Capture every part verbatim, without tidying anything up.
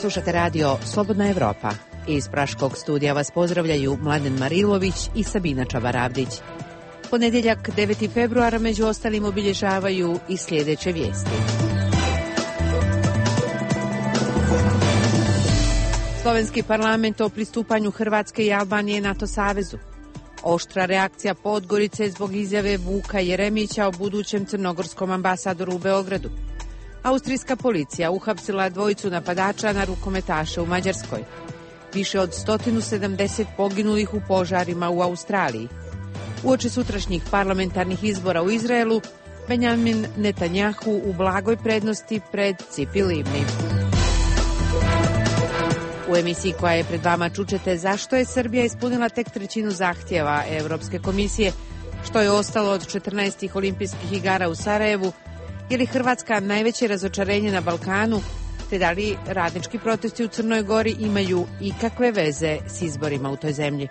Slušate radio Slobodna Evropa. Iz Praškog studija vas pozdravljaju Mladen Marilović i Sabina Čabaravdić. Ponedjeljak deveti februara među ostalim obilježavaju i sljedeće vijesti. Slovenski parlament o pristupanju Hrvatske i Albanije NATO savezu. Oštra reakcija Podgorice zbog izjave Vuka Jeremića o budućem crnogorskom ambasadoru u Beogradu. Austrijska policija uhapsila dvojicu napadača na rukometaše u Mađarskoj. Više od sto sedamdeset poginulih u požarima u Australiji. Uoči sutrašnjih parlamentarnih izbora u Izraelu, Benjamin Netanjahu u blagoj prednosti pred Cipi Livni. U emisiji koja je pred vama čućete zašto je Srbija ispunila tek trećinu zahtjeva Evropske komisije, što je ostalo od četrnaestih olimpijskih igara u Sarajevu, je li Hrvatska najveće razočarenje na Balkanu, te da li radnički protesti u Crnoj Gori imaju ikakve veze s izborima u toj zemlji.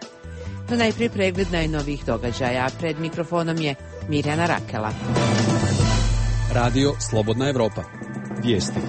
No najprije pregled najnovijih događaja. Pred mikrofonom je Mirjana Rakela. Radio Slobodna Evropa. Vijesti.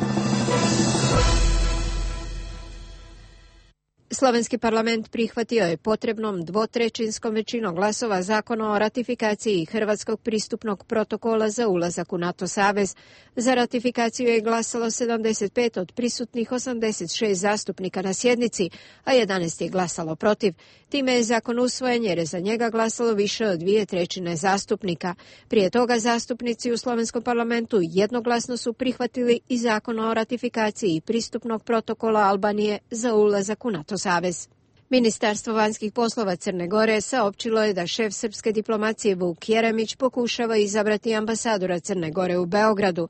Slovenski parlament prihvatio je potrebnom dvotrećinskom većinom glasova zakon o ratifikaciji Hrvatskog pristupnog protokola za ulazak u NATO savez. Za ratifikaciju je glasalo sedamdeset pet od prisutnih osamdeset šest zastupnika na sjednici, a jedanaest je glasalo protiv. Time je zakon usvojen jer je za njega glasalo više od dvije trećine zastupnika. Prije toga zastupnici u slovenskom parlamentu jednoglasno su prihvatili i zakon o ratifikaciji pristupnog protokola Albanije za ulazak u NATO savez. Ministarstvo vanjskih poslova Crne Gore saopćilo je da šef srpske diplomacije Vuk Jeremić pokušava izabrati ambasadora Crne Gore u Beogradu.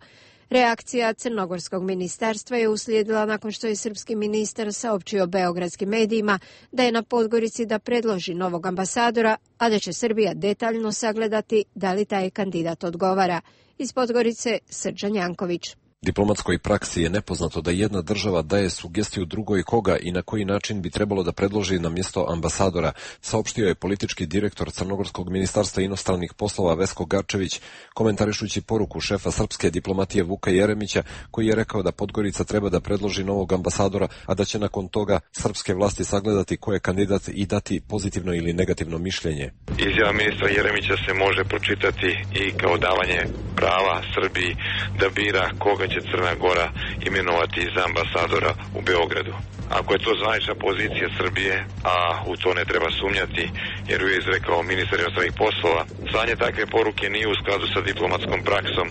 Reakcija crnogorskog ministarstva je uslijedila nakon što je srpski ministar saopćio beogradskim medijima da je na Podgorici da predloži novog ambasadora, a da će Srbija detaljno sagledati da li taj kandidat odgovara. Iz Podgorice Srđan Janković. Diplomatskoj praksi je nepoznato da jedna država daje sugestiju drugoj koga i na koji način bi trebalo da predloži na mjesto ambasadora, saopštio je politički direktor Crnogorskog ministarstva inostranih poslova Vesko Garčević, komentarišući poruku šefa srpske diplomatije Vuka Jeremića, koji je rekao da Podgorica treba da predloži novog ambasadora, a da će nakon toga srpske vlasti sagledati ko je kandidat i dati pozitivno ili negativno mišljenje. Izjava ministra Jeremića se može pročitati i kao davanje prava Srbiji da bira koga će Crna Gora imenovati za ambasadora u Beogradu. Ako je to zvanična pozicija Srbije, a u to ne treba sumnjati, jer ju je izrekao ministar inostranih poslova, slanje takve poruke nije u skladu sa diplomatskom praksom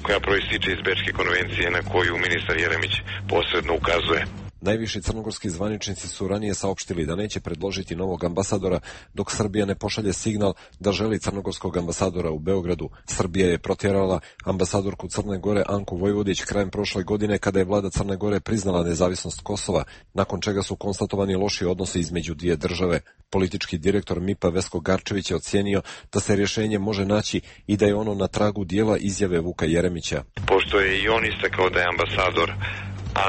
koja proističe iz Bečke konvencije na koju ministar Jeremić posredno ukazuje. Najviši crnogorski zvaničnici su ranije saopštili da neće predložiti novog ambasadora dok Srbija ne pošalje signal da želi crnogorskog ambasadora u Beogradu. Srbija je protjerala ambasadorku Crne Gore Anku Vojvodić krajem prošle godine kada je vlada Crne Gore priznala nezavisnost Kosova, nakon čega su konstatovani loši odnosi između dvije države. Politički direktor M I P-a Vesko Garčević je ocijenio da se rješenje može naći i da je ono na tragu dijela izjave Vuka Jeremića. Pošto je i on istakao da je ambasador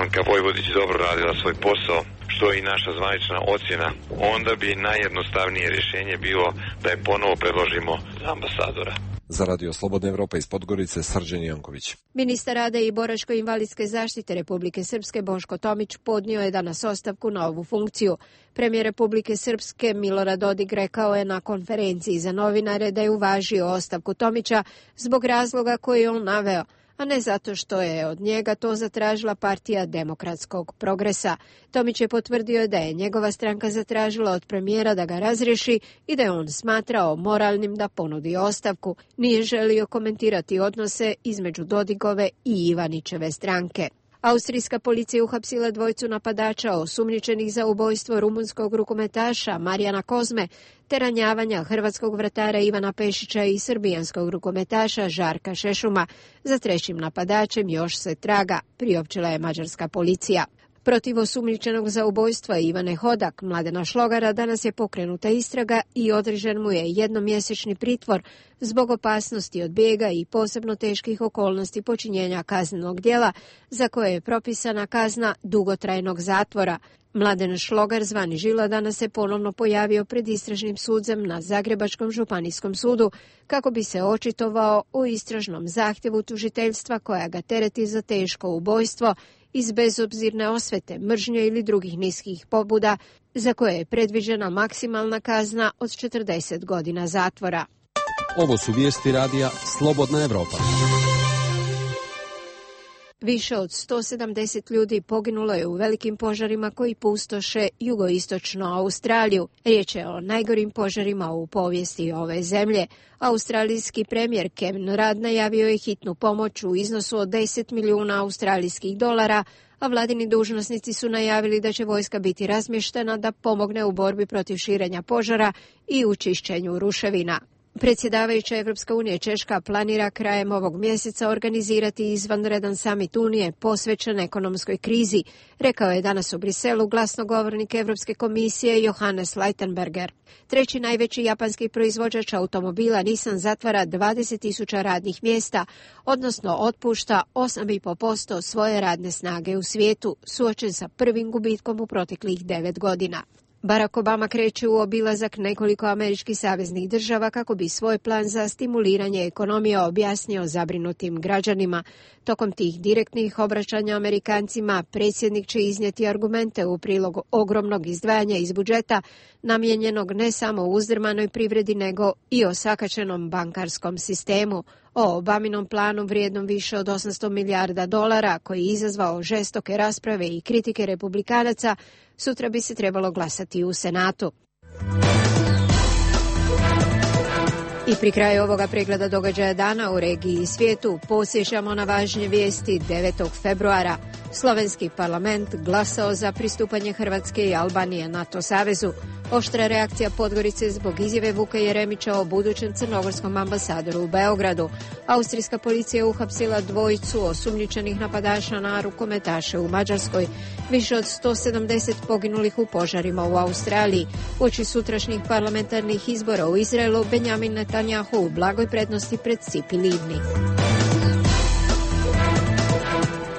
Anka Vojvodić dobro radila svoj posao, što je i naša zvanična ocjena, onda bi najjednostavnije rješenje bilo da je ponovo predložimo za ambasadora. Za Radio Slobodna Evropa iz Podgorice Srđan Janković. Ministar rada i boračko-invalidske zaštite Republike Srpske Boško Tomić podnio je danas ostavku na ovu funkciju. Premijer Republike Srpske Milorad Dodik rekao je na konferenciji za novinare da je uvažio ostavku Tomića zbog razloga koji je on naveo, a ne zato što je od njega to zatražila partija Demokratskog progresa. Tomić je potvrdio da je njegova stranka zatražila od premijera da ga razriješi i da je on smatrao moralnim da ponudi ostavku. Nije želio komentirati odnose između Dodigove i Ivanićeve stranke. Austrijska policija uhapsila dvojcu napadača osumnjičenih za ubojstvo rumunskog rukometaša Marijana Kozme te ranjavanja hrvatskog vratara Ivana Pešića i srbijanskog rukometaša Žarka Šešuma. Za trećim napadačem još se traga, priopćila je mađarska policija. Protiv osumnjičenog za ubojstvo Ivane Hodak, Mladena Šlogara, danas je pokrenuta istraga i određen mu je jednomjesečni pritvor zbog opasnosti od bijega i posebno teških okolnosti počinjenja kaznenog djela za koje je propisana kazna dugotrajnog zatvora. Mladen Šlogar, zvani Žila, danas se ponovno pojavio pred istražnim sudzem na Zagrebačkom županijskom sudu kako bi se očitovao o istražnom zahtjevu tužiteljstva koja ga tereti za teško ubojstvo iz bezobzirne osvete, mržnje ili drugih niskih pobuda, za koje je predviđena maksimalna kazna od četrdeset godina zatvora. Ovo su vijesti radija Slobodna Evropa. Više od sto sedamdeset ljudi poginulo je u velikim požarima koji pustoše jugoistočnu Australiju. Riječ je o najgorim požarima u povijesti ove zemlje. Australijski premijer Kevin Rudd najavio je hitnu pomoć u iznosu od deset milijuna australijskih dolara, a vladini dužnosnici su najavili da će vojska biti razmještena da pomogne u borbi protiv širenja požara i u čišćenju ruševina. Predsjedavajuća Evropska unija Češka planira krajem ovog mjeseca organizirati izvanredan samit Unije posvećen ekonomskoj krizi, rekao je danas u Briselu glasnogovornik Evropske komisije Johannes Leitenberger. Treći najveći japanski proizvođač automobila Nissan zatvara dvadeset tisuća radnih mjesta, odnosno otpušta osam zarez pet posto svoje radne snage u svijetu, suočen sa prvim gubitkom u proteklih devet godina. Barack Obama kreće u obilazak nekoliko američkih saveznih država kako bi svoj plan za stimuliranje ekonomije objasnio zabrinutim građanima. Tokom tih direktnih obraćanja Amerikancima predsjednik će iznijeti argumente u prilog ogromnog izdvajanja iz budžeta namijenjenog ne samo uzdrmanoj privredi nego i osakaćenom bankarskom sistemu. O Obaminom planu vrijednom više od osamsto milijarda dolara, koji je izazvao žestoke rasprave i kritike republikanaca, sutra bi se trebalo glasati u Senatu. I pri kraju ovoga pregleda događaja dana u regiji i svijetu posjećamo na važnje vijesti. Devetog februara slovenski parlament glasao za pristupanje Hrvatske i Albanije NATO savezu. Oštra reakcija Podgorice zbog izjave Vuka Jeremića o budućem crnogorskom ambasadoru u Beogradu. Austrijska policija uhapsila dvojicu osumnjičenih napadača na rukometaše u Mađarskoj. Više od sto sedamdeset poginulih u požarima u Australiji. Uoči sutrašnjih parlamentarnih izbora u Izraelu, Benjamin Netanjahu u blagoj prednosti pred Cipi Livni.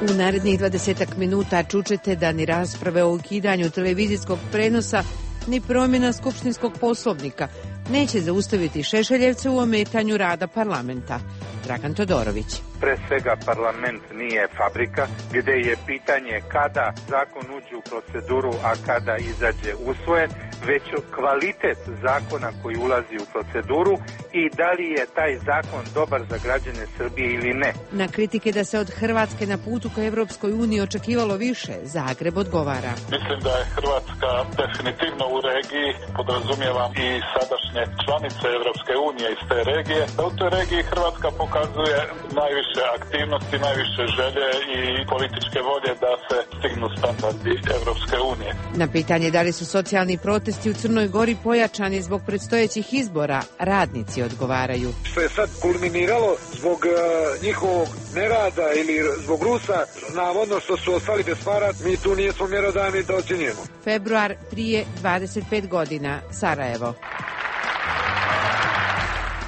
U narednih dvadesetak minuta čućete da ni rasprave o ukidanju televizijskog prenosa ni promjena skupštinskog poslovnika neće zaustaviti Šešeljevce u ometanju rada parlamenta. Dragan Todorović. Pre svega parlament nije fabrika gdje je pitanje kada zakon uđe u proceduru, a kada izađe usvojen, već kvalitet zakona koji ulazi u proceduru i da li je taj zakon dobar za građane Srbije ili ne. Na kritike da se od Hrvatske na putu ka Evropskoj uniji očekivalo više, Zagreb odgovara. Mislim da je Hrvatska definitivno u regiji, podrazumijevam i sadašnje članice Evropske unije iz te regije, da u toj regiji Hrvatska pokazuje najviše aktivnosti, najviše želje i političke volje da se stignu standardi Evropske unije. Na pitanje da li su socijalni protesti u Crnoj Gori pojačani zbog predstojećih izbora, radnici odgovaraju. Što je sad kulminiralo zbog uh, njihovog nerada ili zbog Rusa, navodno što su ostali bez para, mi tu nismo mjerodavni da ocjenjujemo. Februar prije dvadeset pet godina, Sarajevo.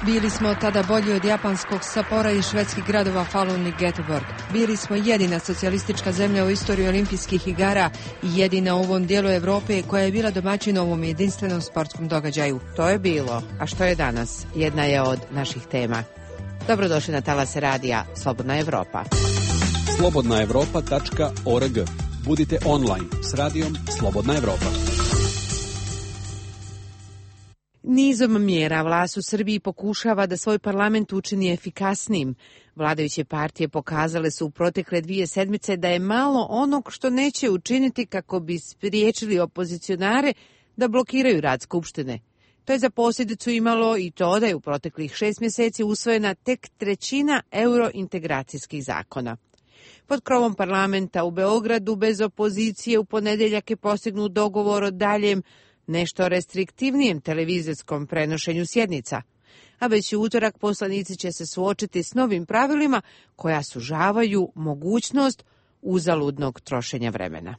Bili smo tada bolji od japanskog Sappora i švedskih gradova Falun i Göteborg. Bili smo jedina socijalistička zemlja u istoriji olimpijskih igara i jedina u ovom dijelu Europe koja je bila domaćin ovom jedinstvenom sportskom događaju. To je bilo, a što je danas, jedna je od naših tema. Dobrodošli na talase radija Slobodna Evropa. slobodna evropa tačka org. Budite online s radijom Slobodna Evropa. Nizom mjera vlast u Srbiji pokušava da svoj parlament učini efikasnijim. Vladajuće partije pokazale su u protekle dvije sedmice da je malo onog što neće učiniti kako bi spriječili opozicionare da blokiraju rad Skupštine. To je za posljedicu imalo i to da je u proteklih šest mjeseci usvojena tek trećina eurointegracijskih zakona. Pod krovom parlamenta u Beogradu bez opozicije u ponedjeljak je postignut dogovor o daljem nešto restriktivnijem televizijskom prenošenju sjednica, a već u utorak poslanici će se suočiti s novim pravilima koja sužavaju mogućnost uzaludnog trošenja vremena.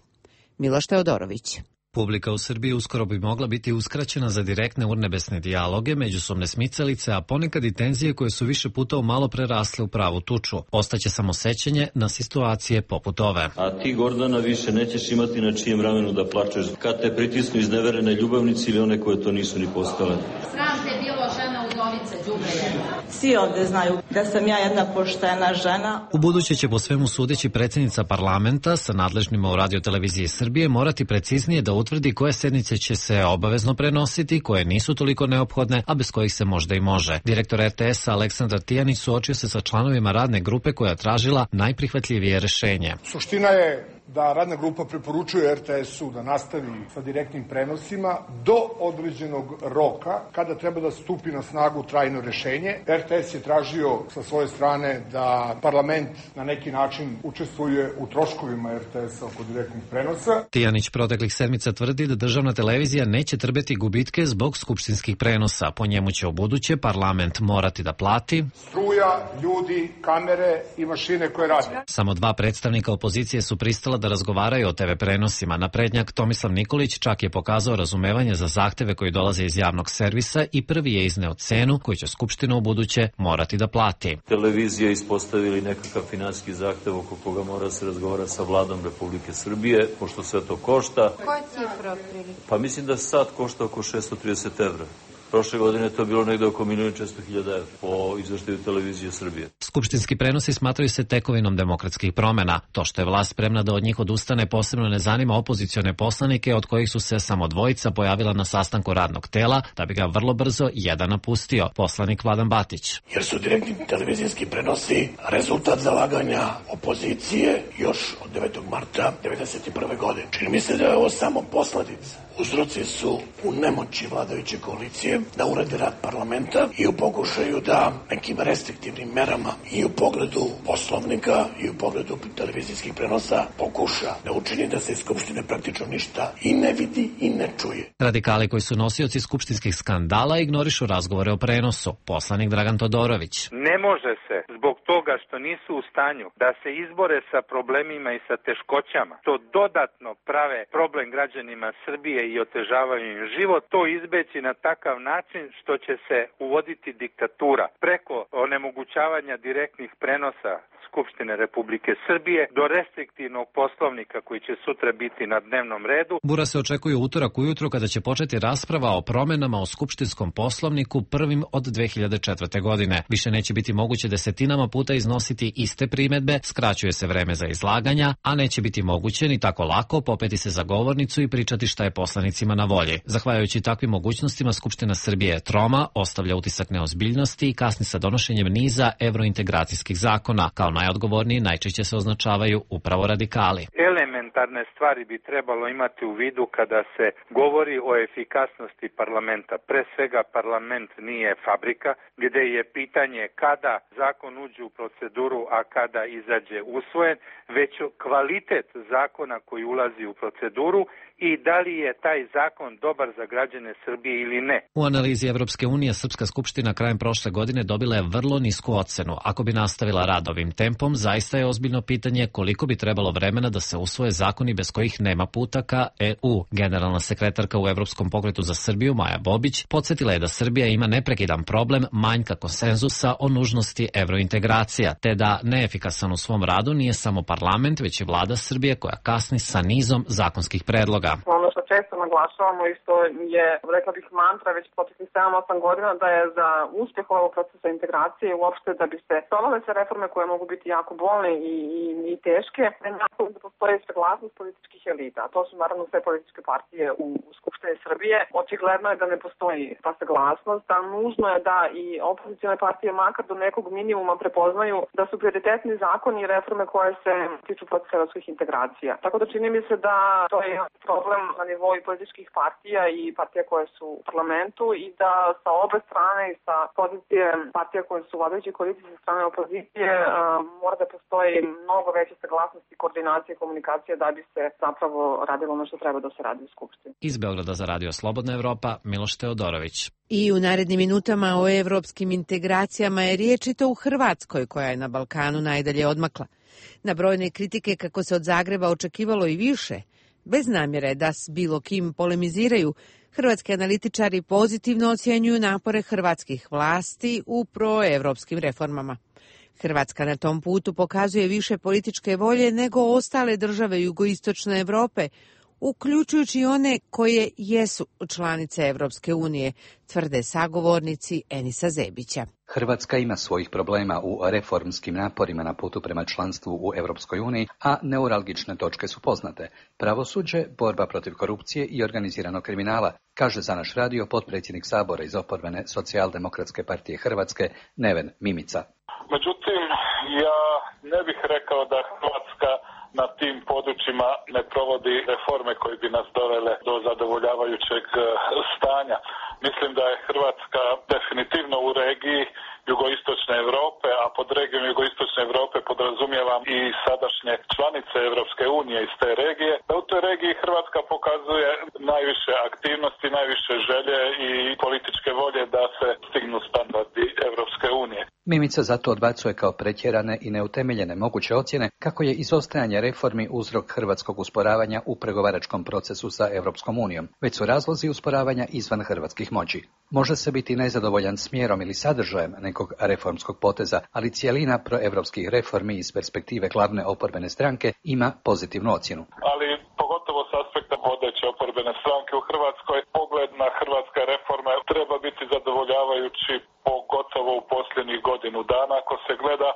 Miloš Teodorović. Publika u Srbiji uskoro bi mogla biti uskraćena za direktne urnebesne dijaloge, međusobne smicalice, a ponekad i tenzije koje su više puta malo prerasle u pravu tuču. Ostaće samo sećanje na situacije poput ove. A ti, Gordana, više nećeš imati na čijem ramenu da plačeš kad te pritisnu izneverene ljubavnici ili one koje to nisu ni postale. Sram te bilo, žena u domu. Lažovica, đubre jedna. Svi ovde znaju da sam ja jedna poštena žena. U buduće će po svemu sudeći predsjednica parlamenta sa nadležnima u Radio-televiziji Srbije morati preciznije da utvrdi koje sednice će se obavezno prenositi, koje nisu toliko neophodne, a bez kojih se možda i može. Direktor er te es-a Aleksandar Tijanić suočio se sa članovima radne grupe koja je tražila najprihvatljivije rešenje. Suština je da radna grupa preporučuje er te es-u da nastavi sa direktnim prenosima do određenog roka kada treba da stupi na snagu trajno rešenje. er te es je tražio sa svoje strane da parlament na neki način učestvuje u troškovima er te es-a oko direktnih prenosa. Tijanić proteklih sedmica tvrdi da državna televizija neće trpeti gubitke zbog skupštinskih prenosa. Po njemu će u buduće parlament morati da plati struja, ljudi, kamere i mašine koje rade. Samo dva predstavnika opozicije su pristala da razgovaraju o te ve prenosima. Naprednjak Tomislav Nikolić čak je pokazao razumevanje za zahteve koji dolaze iz javnog servisa i prvi je izneo cenu koju će Skupština u buduće morati da plati. Televizija ispostavili nekakav finansijski zahtev oko koga mora se razgovara sa vladom Republike Srbije, pošto sve to košta. Koja cifra otprilike? Pa mislim da sad košta oko šesto trideset evra. Prošle godine to je bilo negde oko milion i četiristo hiljada evra po izveštaju Televizije Srbije. Skupštinski prenosi smatraju se tekovinom demokratskih promena. To što je vlast spremna da od njih odustane posebno ne zanima opozicione poslanike, od kojih su se samo dvojica pojavila na sastanku radnog tela, da bi ga vrlo brzo jedan napustio, poslanik Vladan Batić. Jer su direktni televizijski prenosi rezultat zalaganja opozicije još od devetog marta devedeset prve godine. Čini mi se da je ovo samo posledica. Uzroci su u nemoći vladajuće koalicije da urade rad parlamenta i u pokušaju da nekim restriktivnim merama i u pogledu poslovnika i u pogledu televizijskih prenosa pokuša da učini da se iz Skupštine praktično ništa i ne vidi i ne čuje. Radikali koji su nosioci skupštinskih skandala ignorišu razgovore o prenosu. Poslanik Dragan Todorović. Ne može se zbog toga što nisu u stanju da se izbore sa problemima i sa teškoćama, to dodatno prave problem građanima Srbije i otežavaju im život, to izbeći na takav način što će se uvoditi diktatura preko onemogućavanja direktnih prenosa Skupštine Republike Srbije do restriktivnog poslovnika koji će sutra biti na dnevnom redu. Bura se očekuje utorak ujutru kada će početi rasprava o promenama o skupštinskom poslovniku prvim od dve hiljade četvrte. godine. Više neće biti moguće desetinama puta iznositi iste primedbe, skraćuje se vreme za izlaganja, a neće biti moguće ni tako lako popeti se za govornicu i pričati šta je poslanicima na volji. Zahvaljujući takvim mogućnostima, Skupština Srbije je troma, ostavlja utisak neozbiljnosti i kasni sa donošenjem niza evrointegracijskih zakona. Kao najodgovorniji najčešće se označavaju upravo radikali. Elementarne stvari bi trebalo imati u vidu kada se govori o efikasnosti parlamenta. Pre svega parlament nije fabrika gde je pitanje kada zakon uđe u proceduru, a kada izađe usvojen, već kvalitet zakona koji ulazi u proceduru i da li je taj zakon dobar za građane Srbije ili ne. U analizi Evropske unije Srpska skupština krajem prošle godine dobila je vrlo nisku ocenu. Ako bi nastavila rad ovim tempom, zaista je ozbiljno pitanje koliko bi trebalo vremena da se usvoje zakoni bez kojih nema puta ka e u. Generalna sekretarka u Evropskom pokretu za Srbiju Maja Bobić podsjetila je da Srbija ima neprekidan problem manjka konsenzusa o nužnosti evrointegracija, te da neefikasan u svom radu nije samo parlament, već i vlada Srbije koja kasni sa nizom zakonskih predloga. Ono što često naglašavamo i što je, rekla bih, mantra već proteklih sedam osam godina, da je za uspjeh ovog procesa integracije i uopšte da bi se provale se reforme koje mogu biti jako bolne i, i, i teške, da postoje saglasnost političkih elita. A to su naravno sve političke partije u, u Skupštini Srbije. Očigledno je da ne postoji ta saglasnost, a nužno je da i opozicione partije makar do nekog minimuma prepoznaju da su prioritetni zakoni i reforme koje se tiču procesa evropskih integracija. Tako da čini mi se da to je problem na nivou političkih partija i partija koje su u parlamentu i da sa obe strane i sa pozicije partija koje su vladajući koalicije sa strane opozicije uh, mora da postoji mnogo veća saglasnost i koordinacija i komunikacija da bi se zapravo radilo ono što treba da se radi u Skupštini. Iz Beograda za Radio Slobodna Evropa, Miloš Teodorović. I u narednim minutama o evropskim integracijama je riječ i to u Hrvatskoj, koja je na Balkanu najdalje odmakla. Na brojne kritike kako se od Zagreba očekivalo i više, bez namjere da s bilo kim polemiziraju, hrvatski analitičari pozitivno ocjenjuju napore hrvatskih vlasti u proevropskim reformama. Hrvatska na tom putu pokazuje više političke volje nego ostale države jugoistočne Europe, uključujući one koje jesu članice Evropske unije, tvrde sagovornici Enisa Zebića. Hrvatska ima svojih problema u reformskim naporima na putu prema članstvu u Europskoj uniji, a neuralgične točke su poznate. Pravosuđe, borba protiv korupcije i organiziranog kriminala, kaže za naš radio potpredsjednik Sabora iz oporbene Socijaldemokratske partije Hrvatske, Neven Mimica. Međutim, ja ne bih rekao da Hrvatska na tim područjima ne provodi reforme koje bi nas dovele do zadovoljavajućeg stanja. Mislim da je Hrvatska definitivno u regiji jugoistočne Europe, a pod regijom jugoistočne Europe podrazumijevam i sadašnje članice Europske unije iz te regije, da u toj regiji Hrvatska pokazuje najviše aktivnosti, najviše želje i političke volje da se stignu standardi Europske unije. Mimica zato odbacuje kao pretjerane i neutemeljene moguće ocjene kako je izostajanje reformi uzrok hrvatskog usporavanja u pregovaračkom procesu sa Europskom unijom, već su razlozi usporavanja izvan hrvatskih moći. Može se biti nezadovoljan smjerom ili sadržajem nekog reformskog poteza, ali cijelina proevropskih reformi iz perspektive glavne oporbene stranke ima pozitivnu ocjenu. Ali pogotovo s aspekta vodeće oporbene stranke u Hrvatskoj, pogled na hrvatske reforme treba biti zadovoljavajući, pogotovo u posljednjih godinu dana. Ako se gleda,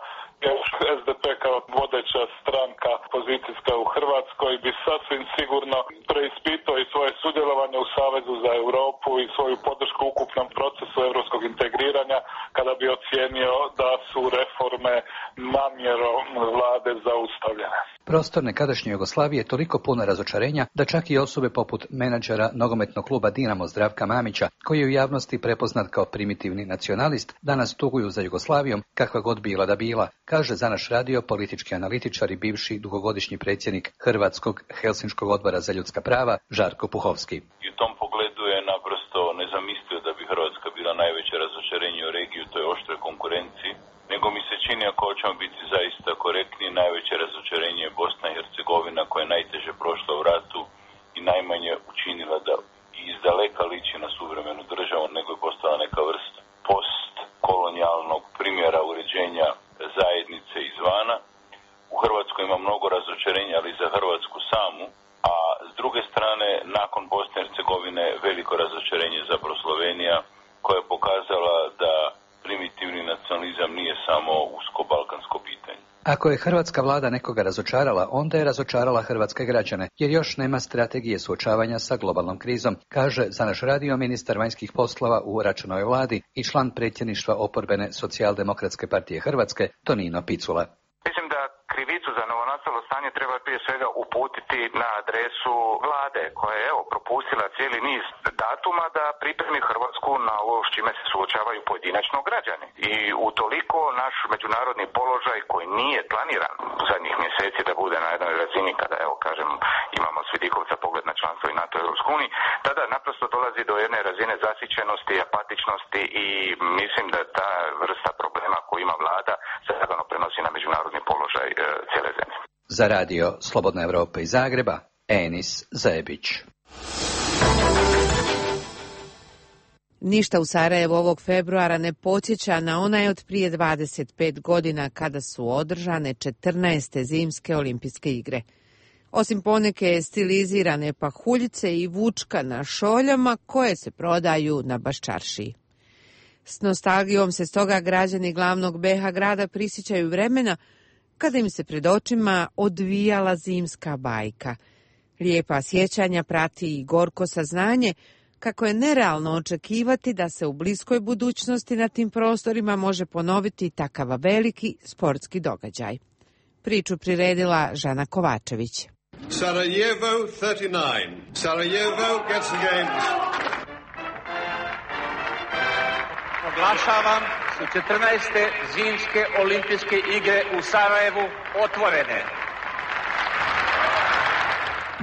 S D P kao vodeća stranka pozicijska u Hrvatskoj bi sasvim sigurno preispitao i svoje sudjelovanje u Savezu za Europu i svoju podršku ukupnom procesu europskog integriranja kada bi ocijenio da su reforme namjerom vlade zaustavljene. Prostor nekadašnje Jugoslavije je toliko puno razočarenja da čak i osobe poput menadžera nogometnog kluba Dinamo Zdravka Mamića, koji je u javnosti prepoznat kao primitivni nacionalist, danas tuguju za Jugoslavijom kakva god bila da bila, kaže za naš radio politički analitičar i bivši dugogodišnji predsjednik Hrvatskog Helsinškog odbora za ljudska prava Žarko Puhovski. I u tom pogledu je naprosto nezamislivo da bi Hrvatska bila najveće razočarenje u regiji u toj oštroj konkurenciji, nego mi se čini, ako hoćemo biti zaista korektni, najveće razočarenje je Bosna i Hercegovina, koja je najteže prošla u ratu i najmanje učinila da izdaleka liči na suvremenu državu, nego je postala neka vrsta postkolonijalnog primjera uređenja zajednice izvana. U Hrvatskoj ima mnogo razočarenja, ali za Hrvatsku samu, a s druge strane, nakon Bosne i Hercegovine, veliko razočarenje je zapravo Slovenija, koja je pokazala da primitivni nacionalizam nije samo usko balkansko pitanje. Ako je hrvatska vlada nekoga razočarala, onda je razočarala hrvatske građane, jer još nema strategije suočavanja sa globalnom krizom, kaže za naš radio ministar vanjskih poslova u Račanovoj vladi i član predsjedništva oporbene Socijaldemokratske partije Hrvatske Tonino Picula. Mislim da krivicu za novonastalo stanje treba prije svega uputiti na adresu vlade, koja je evo propustila cijeli niz datuma da pripremi Hrvatsku na ovo s čime se suočavaju pojedinačno građani. I utoliko naš međunarodni položaj koji nije planiran u zadnjih mjeseci da bude na jednoj razini kada, evo kažem, imamo s vidikovca pogled na članstvo i NATO i Europskoj uniji, tada naprosto dolazi do jedne razine zasićenosti, apatičnosti i mislim da ta vrsta problema koju ima vlada se lagano prenosi na međunarodni položaj e, cijele zemlje. Za radio Slobodna Evropa iz Zagreba, Enis Zebić. Ništa u Sarajevu ovog februara ne podsjeća na onaj od prije dvadeset pet godina kada su održane četrnaeste zimske olimpijske igre. Osim poneke stilizirane pahuljice i vučka na šoljama koje se prodaju na Baščaršiji. S nostalgijom se stoga građani glavnog B iH grada prisjećaju vremena kada im se pred očima odvijala zimska bajka. Lijepa sjećanja prati i gorko saznanje kako je nerealno očekivati da se u bliskoj budućnosti na tim prostorima može ponoviti takav veliki sportski događaj. Priču priredila Žana Kovačević. Sarajevo thirty nine. Sarajevo gets the games. Oglašavam su četrnaeste zimske olimpijske igre u Sarajevu otvorene.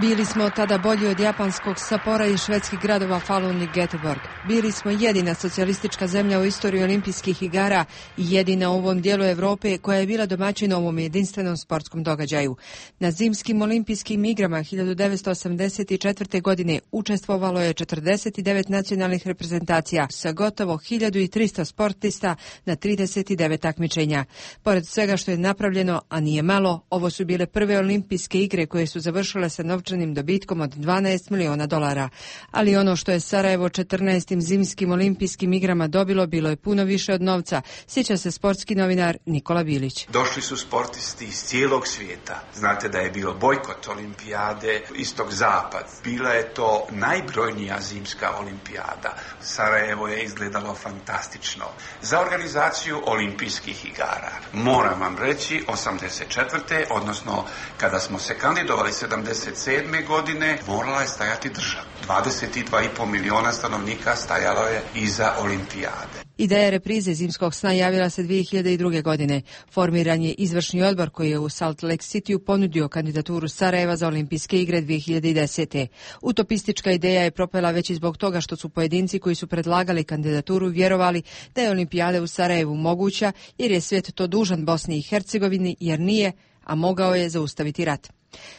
Bili smo tada bolji od japanskog Sapora i švedskih gradova Falun i Göteborg. Bili smo jedina socijalistička zemlja u istoriji olimpijskih igara i jedina u ovom dijelu Europe koja je bila domaćin ovom jedinstvenom sportskom događaju. Na zimskim olimpijskim igrama hiljadu devetsto osamdeset četvrte. godine učestvovalo je četrdeset devet nacionalnih reprezentacija sa gotovo hiljadu tristo sportista na trideset devet takmičenja. Pored svega što je napravljeno, a nije malo, ovo su bile prve olimpijske igre koje su završile sa novčanim dobitkom od dvanaest miliona dolara. Ali ono što je Sarajevo četrnaestim zimskim olimpijskim igrama dobilo bilo je puno više od novca, sjeća se sportski novinar Nikola Bilić. Došli su sportisti iz cijelog svijeta. Znate da je bio bojkot olimpijade istog-zapad. Bila je to najbrojnija zimska olimpijada. Sarajevo je izgledalo fantastično. Za organizaciju olimpijskih igara, moram vam reći, osamdeset četvrte. odnosno kada smo se kandidovali sedamdeset sedme. godine, morala je stajati država. dvadeset dva i pol miliona stanovnika stajalo je iza olimpijade. Ideja reprize zimskog sna javila se dvije hiljade druge. godine. Formiran je izvršni odbor koji je u Salt Lake Cityu ponudio kandidaturu Sarajeva za olimpijske igre dvije hiljade desete. Utopistička ideja je propela već i zbog toga što su pojedinci koji su predlagali kandidaturu vjerovali da je olimpijada u Sarajevu moguća jer je svijet to dužan Bosni i Hercegovini jer nije, a mogao je zaustaviti rat.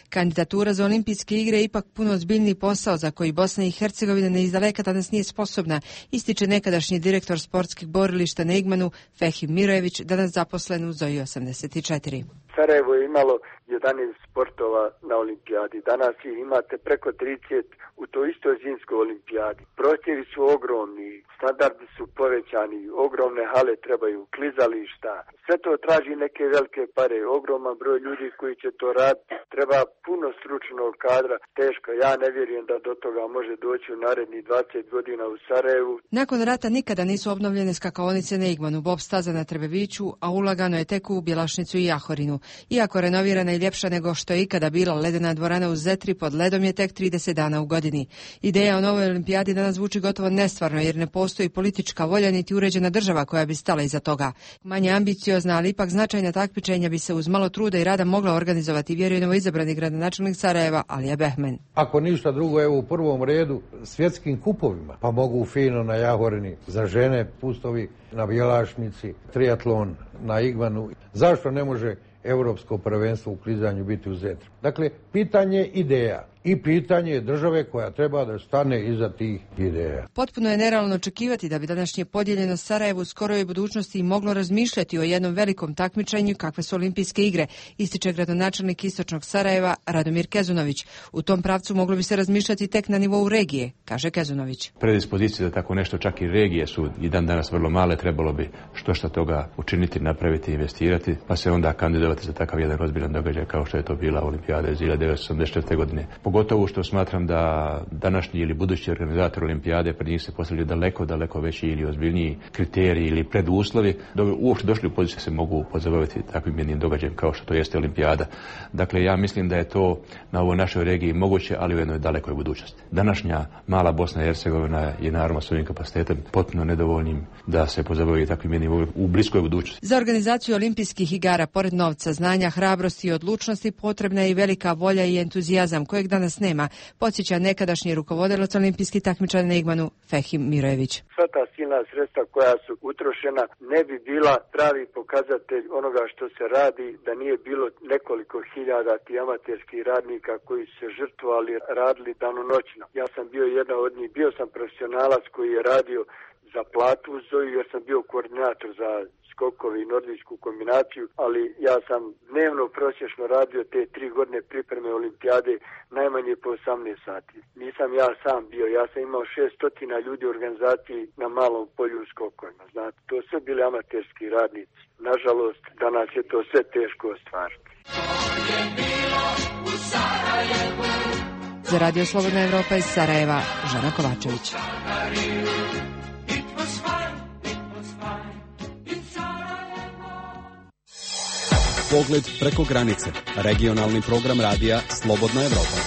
Kandidatura za olimpijske igre je ipak puno ozbiljniji posao za koji Bosna i Hercegovina ne izdaleka danas nije sposobna, ističe nekadašnji direktor sportskih borilišta na Igmanu Fehim Mirojević, danas zaposlen u Zoji osamdeset četiri. Sarajevo je imalo jedanaest sportova na olimpijadi. Danas ih imate preko trideset u toj istoj zimskoj olimpijadi. Prosjevi su ogromni, standardi su povećani, ogromne hale trebaju, klizališta. Sve to traži neke velike pare, ogroman broj ljudi koji će to raditi. Treba puno stručnog kadra, teško. Ja ne vjerujem da do toga može doći u narednih dvadeset godina u Sarajevu. Nakon rata nikada nisu obnovljene skakaonice na Igmanu, bob staza na Trebeviću, a ulagano je tek u Bjelašnicu i Jahorinu. Iako renovirana i ljepša nego što je ikada bila ledena dvorana u Zetri, pod ledom je tek trideset dana u godini. Ideja o novoj olimpijadi danas zvuči gotovo nestvarno jer ne postoji politička volja niti uređena država koja bi stala iza toga. Manje ambiciozna, ali ipak značajna takmičenja bi se uz malo truda i rada mogla organizovati, vjeruje novoizabrani gradonačelnik Sarajeva Alija Behmen. Ako ništa drugo, evo u prvom redu svjetskim kupovima, pa mogu fino na Jahorini za žene, pustovi na Bjelašnici, triatlon na Igmanu. Zašto ne može europsko prvenstvo u klizanju biti u Zetri? Dakle, pitanje ideja i pitanje države koja treba da stane iza tih ideja. Potpuno je nerealno očekivati da bi današnje podijeljeno Sarajevo u skoroj budućnosti moglo razmišljati o jednom velikom takmičenju kakve su olimpijske igre, ističe gradonačelnik istočnog Sarajeva Radomir Kezunović. U tom pravcu moglo bi se razmišljati tek na nivou regije, kaže Kezunović. Predispozicije za tako nešto, čak i regije su i dan danas vrlo male, trebalo bi što šta toga učiniti, napraviti, investirati, pa se onda kandidovati za takav jedan ozbiljan događaj kao što je to bila olimpijada iz hiljadu devetsto osamdeset četvrte. godine. Pogotovo što smatram da današnji ili budući organizator olimpijade pred njih se postavljaju daleko, daleko veći ili ozbiljniji kriteriji ili preduslovi da uopšte došli u poziciju se mogu pozabaviti takvim jednim događajem kao što to jeste olimpijada. Dakle, ja mislim da je to na ovoj našoj regiji moguće, ali u jednoj dalekoj budućnosti. Današnja mala Bosna i Hercegovina je naravno svojim kapacitetom potpuno nedovoljnim da se pozabavi takvim jednim u bliskoj budućnosti. Za organizaciju olimpijskih igara, pored novca, znanja, hrabrosti i odlučnosti, potrebna je i velika volja i entuzijazam kojeg danas nema, podsjeća nekadašnji rukovodilac olimpijskih takmičara na Igmanu Fehim Mirojević. Sva ta silna sredstva koja su utrošena ne bi bila pravi pokazatelj onoga što se radi da nije bilo nekoliko hiljada ti amaterskih radnika koji su se žrtvovali, radili danonoćno. Ja sam bio jedna od njih, bio sam profesionalac koji je radio za platu u Zoju jer sam bio koordinator za skokove i nordijsku kombinaciju, ali ja sam dnevno prosječno radio te tri godine pripreme olimpijade najmanje po osamnaest sati. Nisam ja sam bio, ja sam imao šesnaest ljudi u organizaciji na malom polju u skokovima. Znate, to sve bili amaterski radnici. Nažalost, danas je to sve teško ostvariti. Za Radio Slobodna Evropa iz Sarajeva, Žana Kovačević. Pogled preko granice. Regionalni program radija Slobodna Evropa.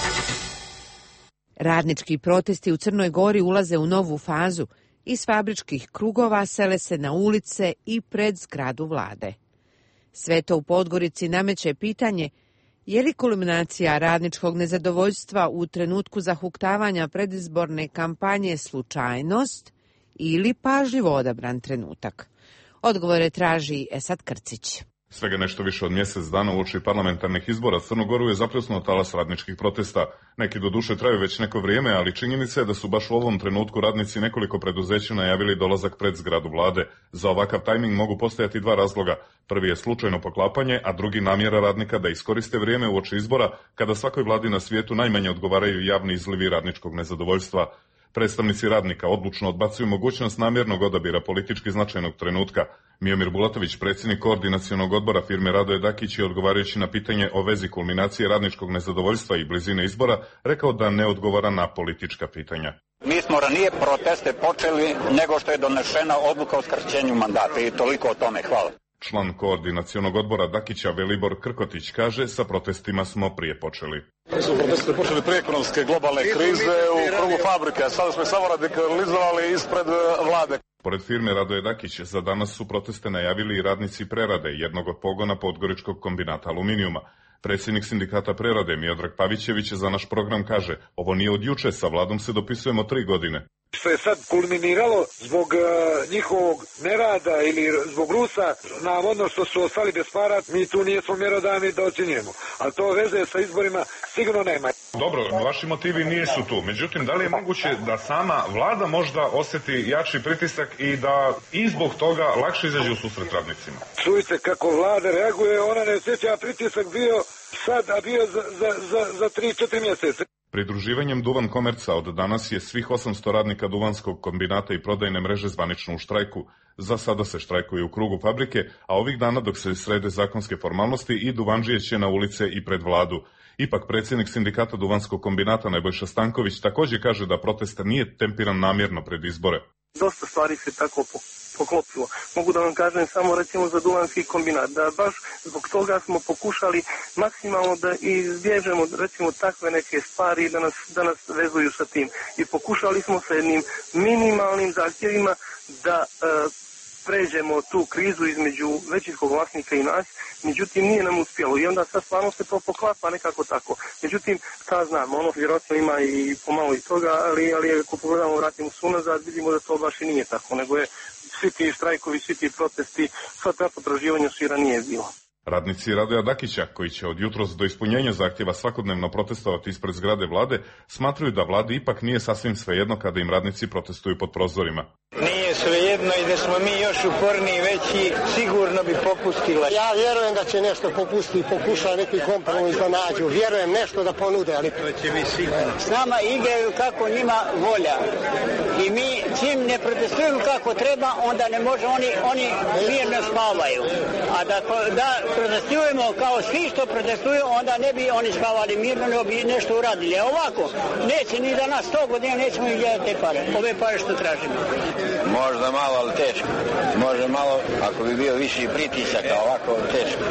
Radnički protesti u Crnoj Gori ulaze u novu fazu. Iz fabričkih krugova sele se na ulice i pred zgradu vlade. Sve to u Podgorici nameće pitanje je li kulminacija radničkog nezadovoljstva u trenutku zahuktavanja predizborne kampanje slučajnost ili pažljivo odabran trenutak? Odgovore traži Esad Krcić. Svega nešto više od mjesec dana uoči parlamentarnih izbora Crnu Goru je zapljusnuo talas radničkih protesta. Neki do duše traju već neko vrijeme, ali činjenica je da su baš u ovom trenutku radnici nekoliko preduzeća najavili dolazak pred zgradu vlade. Za ovakav tajming mogu postojati dva razloga. Prvi je slučajno poklapanje, a drugi namjera radnika da iskoriste vrijeme uoči izbora, kada svakoj vladi na svijetu najmanje odgovaraju javni izlivi radničkog nezadovoljstva. Predstavnici radnika odlučno odbacuju mogućnost namjernog odabira politički značajnog trenutka. Miomir Bulatović, predsjednik koordinacionog odbora firme Radoje Dakić, je odgovarajući na pitanje o vezi kulminacije radničkog nezadovoljstva i blizine izbora, rekao da ne odgovara na politička pitanja. Mi smo ranije proteste počeli nego što je donešena odluka o skraćenju mandata i toliko o tome. Hvala. Član koordinacionog odbora Dakića Velibor Krkotić kaže, sa protestima smo prije počeli. Mi smo proteste počeli prije ekonomske globalne krize u krugu fabrike, a sada smo samo radikalizovali ispred vlade. Pored firme Radoje Dakić, za danas su proteste najavili i radnici prerade jednog od pogona Podgoričkog kombinata aluminijuma. Predsjednik sindikata prerade Miodrag Pavićević za naš program kaže, ovo nije od juče, sa vladom se dopisujemo tri godine. Što je sad kulminiralo zbog uh, njihovog nerada ili zbog Rusa, navodno što su ostali bez para, mi tu nijesmo mjerodavni da ocjenjujemo. Ali to veze sa izborima sigurno nema. Dobro, vaši motivi nisu tu. Međutim, da li je moguće da sama vlada možda osjeti jači pritisak i da i zbog toga lakše izađe u susret radnicima? Čujte kako vlada reaguje, ona ne osjeća pritisak bio sad, a bio za, za, za, za tri četiri mjeseca. Pridruživanjem Duvan Komerca od danas je svih osamsto radnika Duvanskog kombinata i prodajne mreže zvanično u štrajku. Za sada se štrajkuje u krugu fabrike, a ovih dana dok se srede zakonske formalnosti i Duvanđije će na ulice i pred vladu. Ipak predsjednik sindikata Duvanskog kombinata Nebojša Stanković također kaže da protest nije tempiran namjerno pred izbore. Dosta stvari se tako poklopilo. Mogu da vam kažem samo recimo za Duvanski kombinat, da baš zbog toga smo pokušali maksimalno da izbježemo recimo takve neke stvari da nas, da nas vezuju sa tim. I pokušali smo sa jednim minimalnim zahtjevima da e, pređemo tu krizu između većinskog vlasnika i nas, međutim nije nam uspjelo i onda sad stvarno se to poklapa nekako tako. Međutim, šta znam, ono vjerojatno ima i pomalo i toga, ali, ali ako pogledamo, vratimo se unazad, vidimo da to baš i nije tako, nego je svi ti štrajkovi, svi ti protesti, sva ta potraživanja su i ranije bilo. Radnici Radoja Dakića, koji će od jutros do ispunjenja zahtjeva svakodnevno protestovati ispred zgrade vlade, smatruju da vladi ipak nije sasvim svejedno kada im radnici protestuju pod prozorima. Nije svejedno i da smo mi još uporniji veći, sigurno bi popustila. Ja vjerujem da će nešto popustiti i pokuša neki kompromis da nađu. Vjerujem nešto da ponude, ali to će biti sigurno. S nama igraju kako njima volja. I mi čim ne protestujemo kako treba, onda ne može, oni, oni mirno spavaju. A da, da protestujemo kao svi što protestuju, onda ne bi oni spavali mirno, nego bi nešto uradili. A ovako, neće ni za nas sto godina, nećemo ih gledati te pare. Ove pare što tražimo. Možda malo, ali teško. Može malo, ako bi bio viši pritisak, a ovako teško.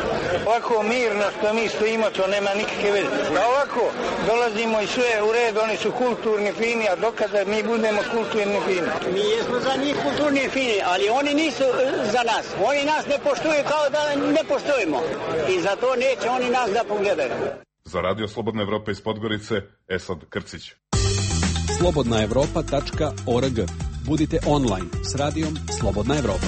Ovako mirno što mi stojimo, to nema nikakve veze. A ovako, dolazimo i sve u red, oni su kulturni, fini, a dokada mi budemo kulturni, fini. Mi jesmo za njih kulturni, fini, ali oni nisu za nas. Oni nas ne poštuju kao da ne poštujemo. I zato neće oni nas da pogledaju. Za Radio Slobodna Evropa iz Podgorice, Esad Krcić. slobodna evropa tačka org. Budite online s radijom Slobodna Evropa.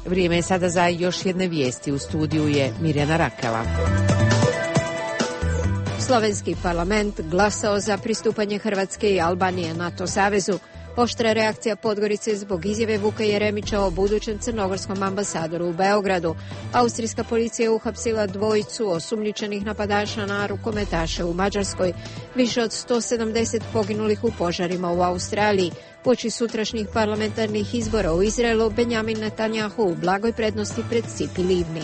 Vrijeme je sada za još jedne vijesti. U studiju je Mirjana Rakava. Slovenski parlament glasao za pristupanje Hrvatske i Albanije NATO savezu. Oštra reakcija Podgorice zbog izjave Vuka Jeremića o budućem crnogorskom ambasadoru u Beogradu. Austrijska policija je uhapsila dvojicu osumnjičenih napadača na rukometaše u Mađarskoj. Više od sto sedamdeset poginulih u požarima u Australiji. Uoči sutrašnjih parlamentarnih izbora u Izraelu, Benjamin Netanjahu u blagoj prednosti pred Cipi Livni.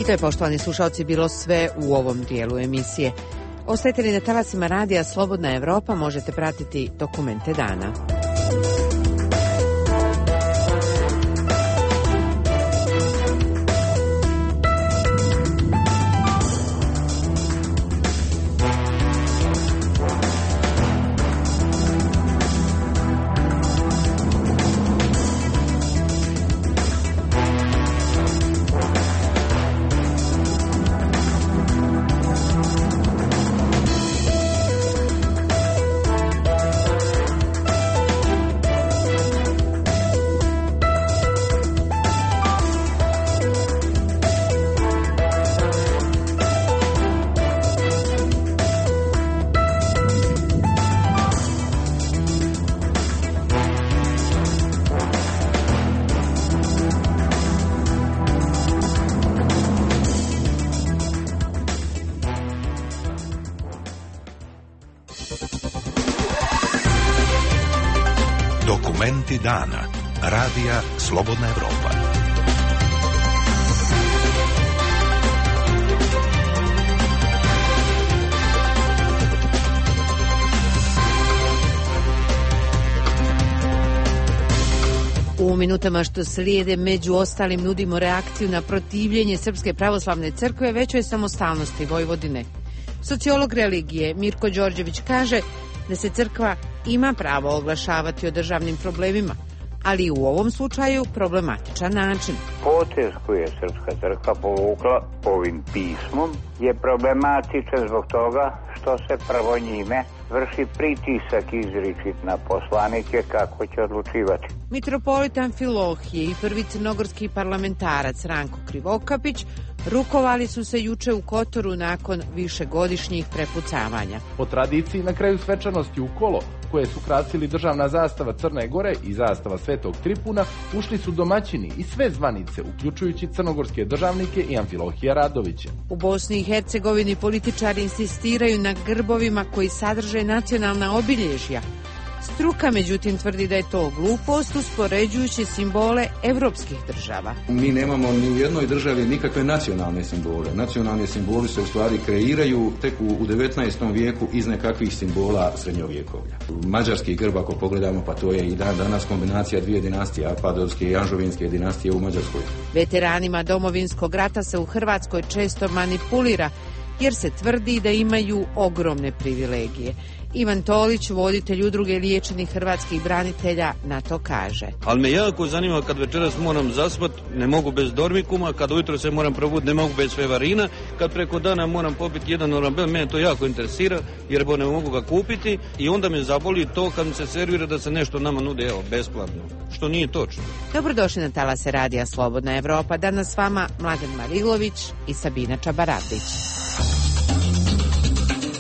I to je, poštovani slušalci, bilo sve u ovom dijelu emisije. Ostajete li na talasima radija Slobodna Evropa, možete pratiti dokumente dana. Dokumenti dana. Radija Slobodna Evropa. U minutama što slijede među ostalim nudimo reakciju na protivljenje Srpske pravoslavne crkve većoj samostalnosti Vojvodine. Sociolog religije Mirko Đorđević kaže da se crkva ima pravo oglašavati o državnim problemima, ali u ovom slučaju problematičan način. Potez koji je Srpska crkva povukla ovim pismom je problematičan zbog toga što se prvo njime vrši pritisak izričit na poslanike kako će odlučivati. Mitropolit Amfilohije i prvi crnogorski parlamentarac Ranko Krivokapić rukovali su se juče u Kotoru nakon višegodišnjih prepucavanja. Po tradiciji na kraju svečanosti u kolo, koje su krasili državna zastava Crne Gore i zastava Svetog Tripuna, ušli su domaćini i sve zvanice, uključujući crnogorske državnike i Amfilohija Radovića. U Bosni i Hercegovini političari insistiraju na grbovima koji sadrže nacionalna obilježja. Struka, međutim, tvrdi da je to glupost uspoređujući simbole evropskih država. Mi nemamo ni u jednoj državi nikakve nacionalne simbole. Nacionalni simboli se u stvari kreiraju tek u devetnaestom vijeku iz nekakvih simbola srednjovjekovlja. Mađarski grb, ako pogledamo, pa to je i dan danas kombinacija dvije dinastije, Apadovske i Anžovinske dinastije u Mađarskoj. Veteranima Domovinskog rata se u Hrvatskoj često manipulira, jer se tvrdi da imaju ogromne privilegije. Ivan Tolić, voditelj udruge liječenih hrvatskih branitelja, na to kaže. Ali me jako zanima kad večeras moram zaspat, ne mogu bez dormikuma, kad ujutro se moram probuditi, ne mogu bez fevarina, kad preko dana moram popiti jedan orambel, mene to jako interesira, jer bo ne mogu ga kupiti i onda me zaboli to kad mi se servira da se nešto nama nude, evo, besplatno, što nije točno. Dobrodošli na talase Radija Slobodna Evropa. Danas s vama Mladen Marilović i Sabina Čabaradić.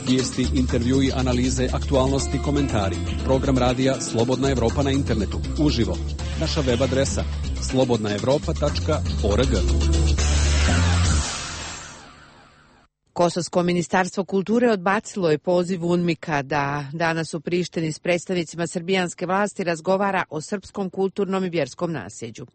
Vijesti, intervjui, analize, aktualnosti, komentari. Program radija Slobodna Evropa na internetu. Uživo. Naša web adresa slobodna evropa tačka org. Kosovsko ministarstvo kulture odbacilo je poziv UNMIK-a da danas u Prištini s predstavnicima srbijanske vlasti razgovara o srpskom kulturnom i vjerskom nasljeđu.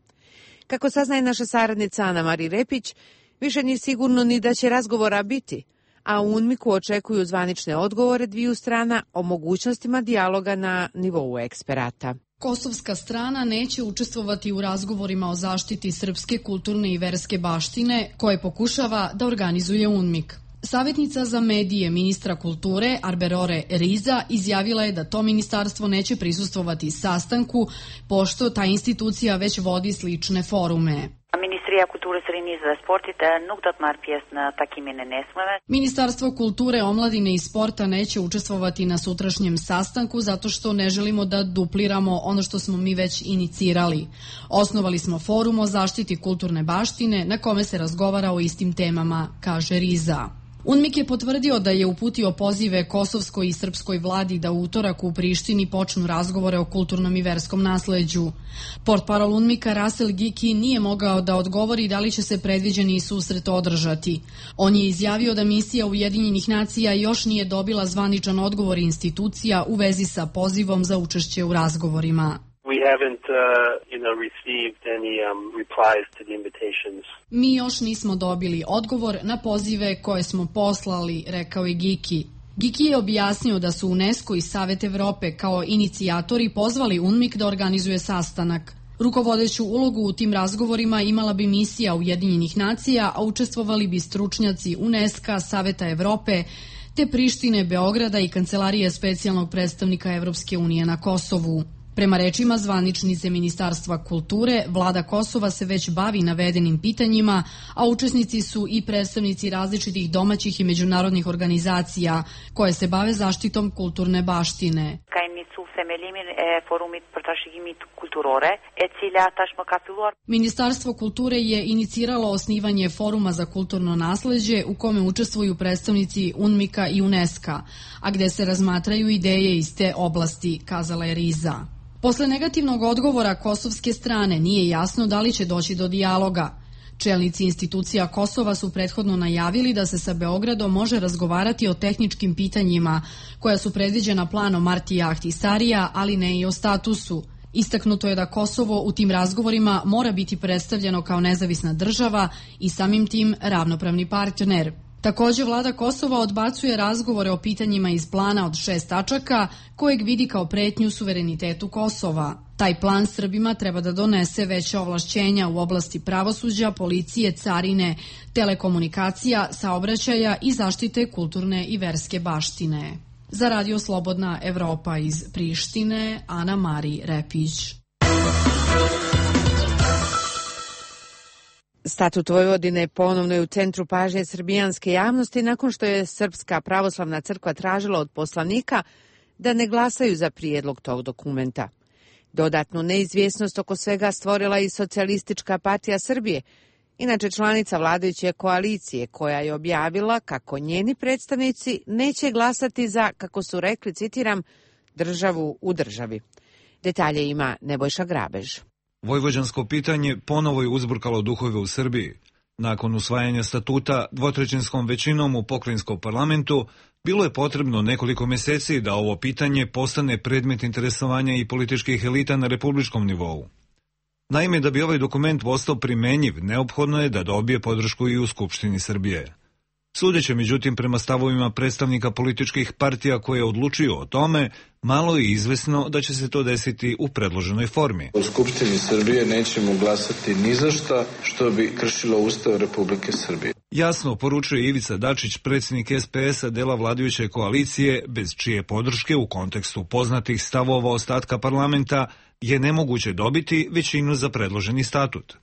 Kako saznaje naša saradnica Ana Mari Repić, više nije sigurno ni da će razgovora biti, a u UNMIK-u očekuju zvanične odgovore dviju strana o mogućnostima dijaloga na nivou eksperata. Kosovska strana neće učestvovati u razgovorima o zaštiti srpske kulturne i verske baštine koje pokušava da organizuje UNMIK. Savjetnica za medije ministra kulture Arberore Riza izjavila je da to ministarstvo neće prisustvovati sastanku, pošto ta institucija već vodi slične forume. Ministarstvo kulture, omladine i sporta neće učestvovati na sutrašnjem sastanku zato što ne želimo da dupliramo ono što smo mi već inicirali. Osnovali smo forum o zaštiti kulturne baštine na kome se razgovara o istim temama, kaže Riza. UNMIK je potvrdio da je uputio pozive kosovskoj i srpskoj vladi da u utorak u Prištini počnu razgovore o kulturnom i verskom nasleđu. Portparol UNMIK-a Rasel Giki nije mogao da odgovori da li će se predviđeni susret održati. On je izjavio da misija Ujedinjenih nacija još nije dobila zvaničan odgovor institucija u vezi sa pozivom za učešće u razgovorima. We haven't, uh, you know, received any um, replies to the invitations. Mi još nismo dobili odgovor na pozive koje smo poslali, rekao je Giki. Giki je objasnio da su UNESCO i Savet Evrope kao inicijatori pozvali UNMIK da organizuje sastanak. Rukovodeću ulogu u tim razgovorima imala bi misija Ujedinjenih nacija, a učestvovali bi stručnjaci UNESCO, Saveta Evrope, te Prištine, Beograda i Kancelarije specijalnog predstavnika Evropske unije na Kosovu. Prema rečima zvaničnice Ministarstva kulture, vlada Kosova se već bavi navedenim pitanjima, a učesnici su i predstavnici različitih domaćih i međunarodnih organizacija koje se bave zaštitom kulturne baštine. Ministarstvo kulture je iniciralo osnivanje foruma za kulturno nasleđe u kome učestvuju predstavnici UNMIK-a i UNESCO-a, a gde se razmatraju ideje iz te oblasti, kazala je Riza. Posle negativnog odgovora kosovske strane nije jasno da li će doći do dijaloga. Čelnici institucija Kosova su prethodno najavili da se sa Beogradom može razgovarati o tehničkim pitanjima koja su predviđena planom Martija Ahtisarija, ali ne i o statusu. Istaknuto je da Kosovo u tim razgovorima mora biti predstavljeno kao nezavisna država i samim tim ravnopravni partner. Također vlada Kosova odbacuje razgovore o pitanjima iz plana od šest tačaka kojeg vidi kao pretnju suverenitetu Kosova. Taj plan Srbima treba da donese veća ovlašćenja u oblasti pravosuđa, policije, carine, telekomunikacija, saobraćaja i zaštite kulturne i verske baštine. Za Radio Slobodna Evropa iz Prištine, Ana Mari Repić. Statut Vojvodine ponovno je u centru pažnje srbijanske javnosti nakon što je Srpska pravoslavna crkva tražila od poslanika da ne glasaju za prijedlog tog dokumenta. Dodatnu neizvjesnost oko svega stvorila i Socijalistička partija Srbije, inače članica vladajuće koalicije, koja je objavila kako njeni predstavnici neće glasati za, kako su rekli, citiram, državu u državi. Detalje ima Nebojša Grabež. Vojvođansko pitanje ponovo je uzburkalo duhove u Srbiji. Nakon usvajanja statuta dvotrećinskom većinom u pokrajinskom parlamentu, bilo je potrebno nekoliko mjeseci da ovo pitanje postane predmet interesovanja i političkih elita na republičkom nivou. Naime, da bi ovaj dokument postao primenjiv, neophodno je da dobije podršku i u Skupštini Srbije. Sudeće, međutim, prema stavovima predstavnika političkih partija koje odlučuju o tome, malo je izvesno da će se to desiti u predloženoj formi. U Skupštini Srbije nećemo glasati ni za šta što bi kršilo Ustav Republike Srbije. Jasno poručuje Ivica Dačić, predsjednik S P S-a dela vladajuće koalicije, bez čije podrške u kontekstu poznatih stavova ostatka parlamenta je nemoguće dobiti većinu za predloženi statut.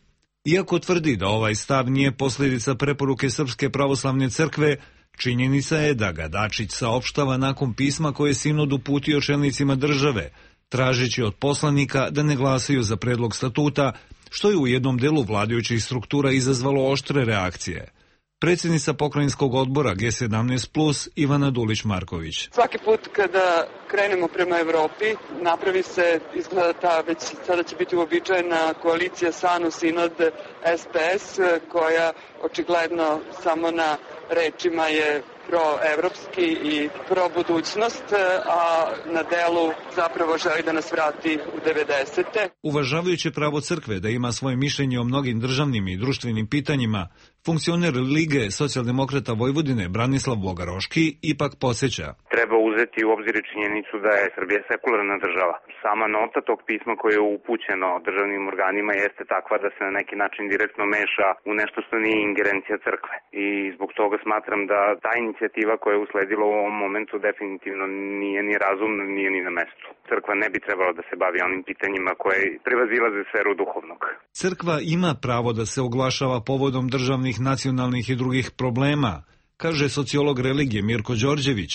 Iako tvrdi da ovaj stav nije posljedica preporuke Srpske pravoslavne crkve, činjenica je da ga Dačić saopštava nakon pisma koje je sinod uputio čelnicima države, tražeći od poslanika da ne glasaju za predlog statuta, što je u jednom delu vladajućih struktura izazvalo oštre reakcije. Predsjednica pokrajinskog odbora G sedamnaest plus Ivana Dulić-Marković. Svaki put kada krenemo prema Evropi, napravi se, izgleda ta već sada će biti uobičajena koalicija SANU, Sinod, S P S, koja očigledno samo na rečima je proevropski i pro-budućnost, a na delu zapravo želi da nas vrati u devedesete. Uvažavajući pravo crkve da ima svoje mišljenje o mnogim državnim i društvenim pitanjima, funkcioner Lige socijaldemokrata Vojvodine Branislav Bogaroški ipak podsjeća. Treba uzeti u obzir činjenicu da je Srbija sekularna država. Sama nota tog pisma koje je upućeno državnim organima jeste takva da se na neki način direktno meša u nešto što nije ingerencija crkve. I zbog toga smatram da ta inicijativa koja je usledila u ovom momentu definitivno nije ni razumna, nije ni na mestu. Crkva ne bi trebala da se bavi onim pitanjima koje prevazilaze sferu duhovnog. Crkva ima pravo da se oglašava povodom državnih, nacionalnih i drugih problema, kaže sociolog religije Mirko Đorđević,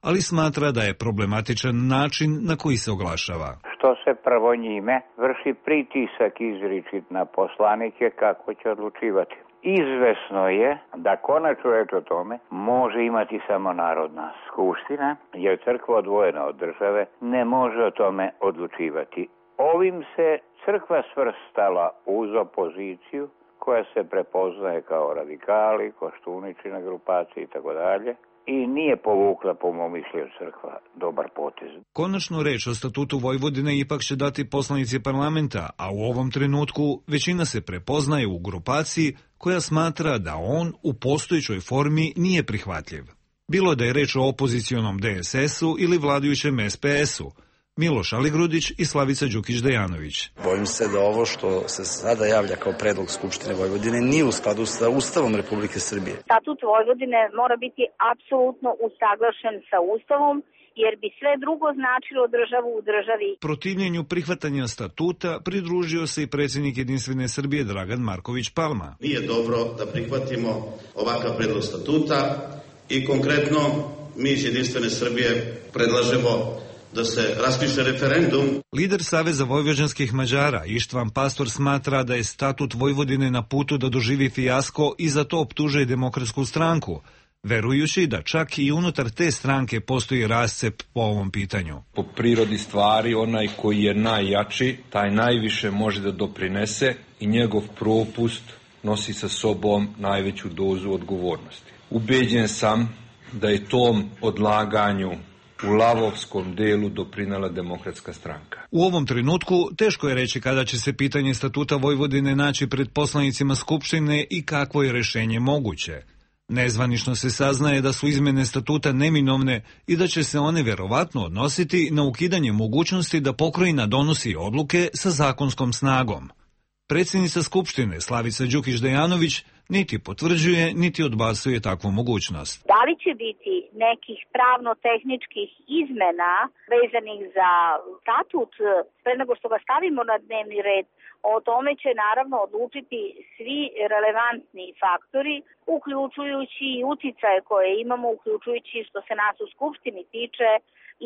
ali smatra da je problematičan način na koji se oglašava. Što se prvo njime vrši pritisak izričit na poslanike kako će odlučivati. Izvesno je da konačnu reč o tome može imati samo Narodna skupština, jer crkva odvojena od države ne može o tome odlučivati. Ovim se crkva svrstala uz opoziciju koja se prepoznaje kao radikali, Koštuničina grupacija i tako dalje. I nije povukla, po mom mišljenju, crkva dobar potez. Konačnu reč o statutu Vojvodine ipak će dati poslanici parlamenta, a u ovom trenutku većina se prepoznaje u grupaciji koja smatra da on u postojećoj formi nije prihvatljiv. Bilo da je reč o opozicionom D S S-u ili vladajućem S P S-u, Miloš Aligrudić i Slavica Đukić-Dejanović. Bojim se da ovo što se sada javlja kao predlog Skupštine Vojvodine nije u skladu sa Ustavom Republike Srbije. Statut Vojvodine mora biti apsolutno usaglašen sa Ustavom, jer bi sve drugo značilo državu u državi. Protivljenju prihvatanja statuta pridružio se i predsjednik Jedinstvene Srbije Dragan Marković Palma. Nije dobro da prihvatimo ovakav predlog statuta i konkretno mi iz Jedinstvene Srbije predlažemo da se raspiše referendum. Lider Saveza vojvođanskih Mađara Ištvan Pastor smatra da je statut Vojvodine na putu da doživi fijasko i za to optužuje Demokratsku stranku, verujući da čak i unutar te stranke postoji rascep po ovom pitanju. Po prirodi stvari, onaj koji je najjači, taj najviše može da doprinese i njegov propust nosi sa sobom najveću dozu odgovornosti. Ubeđen sam da je tom odlaganju u lavovskom delu doprinela Demokratska stranka. U ovom trenutku teško je reći kada će se pitanje statuta Vojvodine naći pred poslanicima Skupštine i kakvo je rešenje moguće. Nezvanično se saznaje da su izmene statuta neminovne i da će se one verovatno odnositi na ukidanje mogućnosti da pokrajina donosi odluke sa zakonskom snagom. Predsjednica Skupštine Slavica Đukić-Dejanović niti potvrđuje, niti odbacuje takvu mogućnost. Da li će biti nekih pravno-tehničkih izmena vezanih za statut pre nego što ga stavimo na dnevni red, o tome će naravno odlučiti svi relevantni faktori, uključujući i uticaje koje imamo, uključujući što se nas u Skupštini tiče